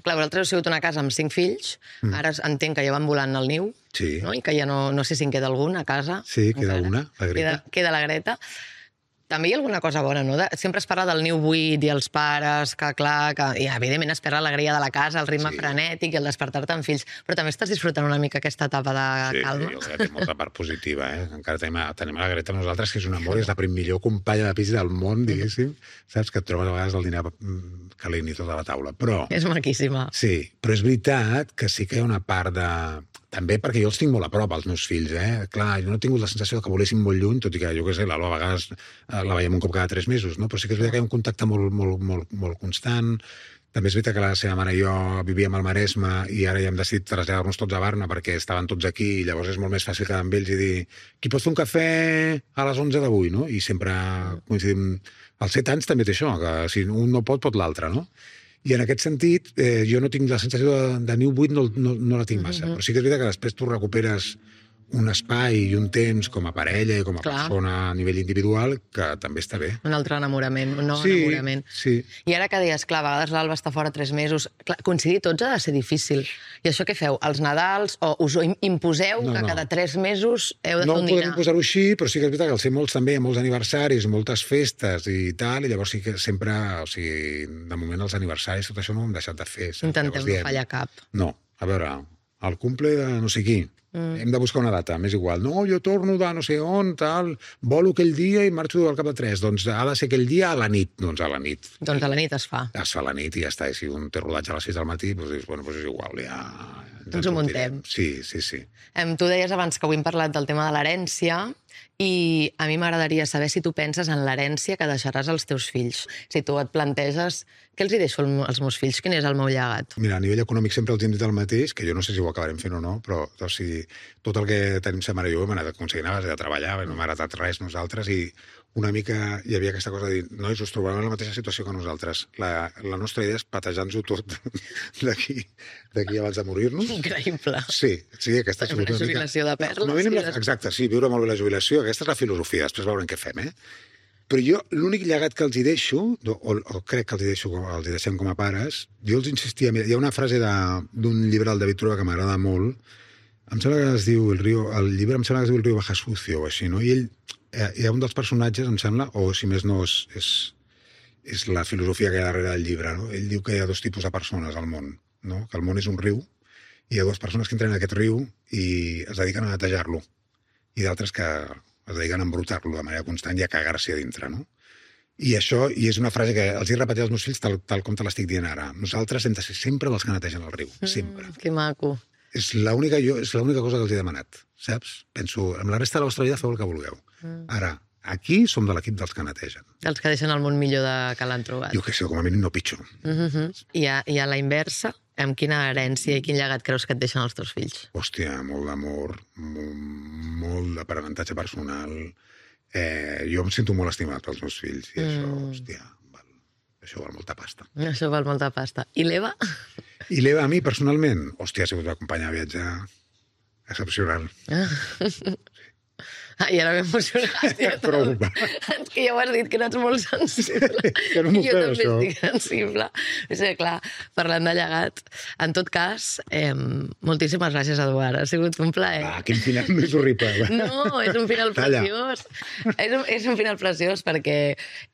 Clar, vosaltres heu sigut una casa amb 5 fills, ara entenc que ja van volant al niu, sí. No? I que ja no sé si en queda algun a casa. Sí, queda una, la Greta. Queda la Greta. també hi ha alguna cosa bona, no? Sempre es parla del niu buit i els pares, que clar, i evidentment es perd l'alegria de la casa, el ritme frenètic i el despertar-te amb fills, però també estàs disfrutant una mica aquesta etapa de calma. Sí, jo crec que té molta part positiva, Encara tenim la Greta nosaltres, que és un amor, és la millor companya de pis del món, diguéssim, saps? Que et trobes a vegades el dinar calent i tot a la taula, però... És maquíssima. Sí, però és veritat que sí que hi ha una part de... També perquè jo els tinc molt a prop, els meus fills, Clar, jo no he tingut la sensació que volessin molt lluny, tot i que, jo què sé, l'Alba a vegades la veiem un cop cada 3 mesos, no? Però sí que és veritat que hi ha un contacte molt constant. També és veritat que la seva mare i jo vivíem al Maresme i ara ja hem decidit traslladar-nos tots a Barna perquè estaven tots aquí i llavors és molt més fàcil quedar amb ells i dir qui pot fer un cafè a les 11 d'avui, no? I sempre coincidim... Als 7 anys també té això, que si un no pot l'altre, no? I en aquest sentit, jo no tinc la sensació de niu buit, no la tinc massa. Però sí que és veritat que després tu recuperes un espai i un temps com a parella i com a persona a nivell individual que també està bé. Un altre enamorament, un nou enamorament. Sí. I ara que deies, clar, a vegades l'Alba està fora 3 mesos, clar, coincidir tots ha de ser difícil. I això què feu? Els Nadals? O us ho imposeu que cada 3 mesos heu de fer un dinar? No podem posar-ho així, però sí que és veritat que al ser molts també, molts aniversaris, moltes festes i tal, i llavors sí que sempre, o sigui, de moment els aniversaris, tot això no ho hem deixat de fer. Intentem no fallar cap. No, a veure, el cumple de no sé qui, hem de buscar una data, m'és igual. No, jo torno de no sé on, tal, volo aquell dia i marxo al cap de 3. Doncs ha de ser aquell dia a la nit. Doncs a la nit. Doncs a la nit es fa. Es fa a la nit i ja està. I si un té rodatge a les 6 del matí, doncs dius, bueno, doncs és igual, ja... Ens ho muntem. Sí. Tu deies abans que avui hem parlat del tema de l'herència i a mi m'agradaria saber si tu penses en l'herència que deixaràs als teus fills. Si tu et planteges què els hi deixo als meus fills, quin és el meu llegat? Mira, a nivell econòmic sempre els hem dit el mateix, que jo no sé si ho acabarem fent o no, però o sigui, tot el que tenim sa mare i jo hem anat aconseguint a base de treballar, no m'ha heretat res nosaltres i una mica hi havia aquesta cosa de dir, nois, us trobarem en la mateixa situació que nosaltres. La nostra idea és patejar-nos-ho tot d'aquí abans de morir-nos. Increïble. Sí, aquesta és una jubilació de perles. Exacte, sí, viure molt bé la jubilació. Aquesta és la filosofia, després veurem què fem, Però jo, l'únic llegat que els hi deixo, o crec que els hi deixem com a pares, jo els insistia... Hi ha una frase d'un llibre del David Trueba que m'agrada molt, em sembla que es diu el llibre em sembla que es diu El río baja sucio o així, no? I ell, hi ha un dels personatges, em sembla, o si més no, és la filosofia que hi ha darrere del llibre, no? Ell diu que hi ha 2 tipus de persones al món, no? Que el món és un riu, i hi ha 2 persones que entren en aquest riu i es dediquen a netejar-lo, i d'altres que es dediquen a embrutar-lo de manera constant i a cagar-s'hi a dintre, no? I això, i és una frase que els he repetit als meus fills tal com te l'estic dient ara. Nosaltres hem de ser sempre els que netegen el riu, sempre. Que maco. És l'única cosa que els he demanat, saps? Penso, amb la resta de la vostra vida feu el que vulgueu. Ara, aquí som de l'equip dels que netegen. Dels que deixen el món millor que l'han trobat. Jo què sé, com a mínim no pitjor. I a la inversa, amb quina herència i quin llegat creus que et deixen els teus fills? Hòstia, molt d'amor, molt d'aprenentatge personal. Jo em sento molt estimat pels meus fills i això, hòstia, això val molta pasta. Això val molta pasta. I l'Eva? I l'Eva, a mi, personalment, hòstia, ha sigut una companya de viatge excepcional. I ara m'he emocionat. Prou. Que ja ho has dit, que no ets molt sensible. Que no m'ho jo també això. estic sensible. O sigui, clar, parlant de llegat, en tot cas, moltíssimes gràcies, Eduard. Ha sigut un plaer. Quin final més horrible. No, és un final preciós. És un final preciós perquè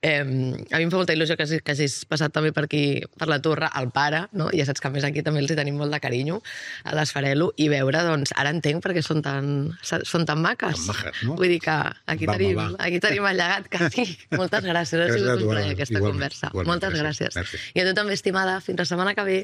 a mi em fa molta il·lusió que hagis passat també per aquí, per la Torre, el pare, no? Ja saps que a més aquí també els hi tenim molt de carinyo, a l'Esfarelo, i veure, doncs, ara entenc perquè són tan maques. Tan maques, no? Vull dir que aquí tenim el llegat quasi. Moltes gràcies, ha sigut un plaer aquesta conversa. Moltes gràcies. I a tu també, estimada. Fins la setmana que ve.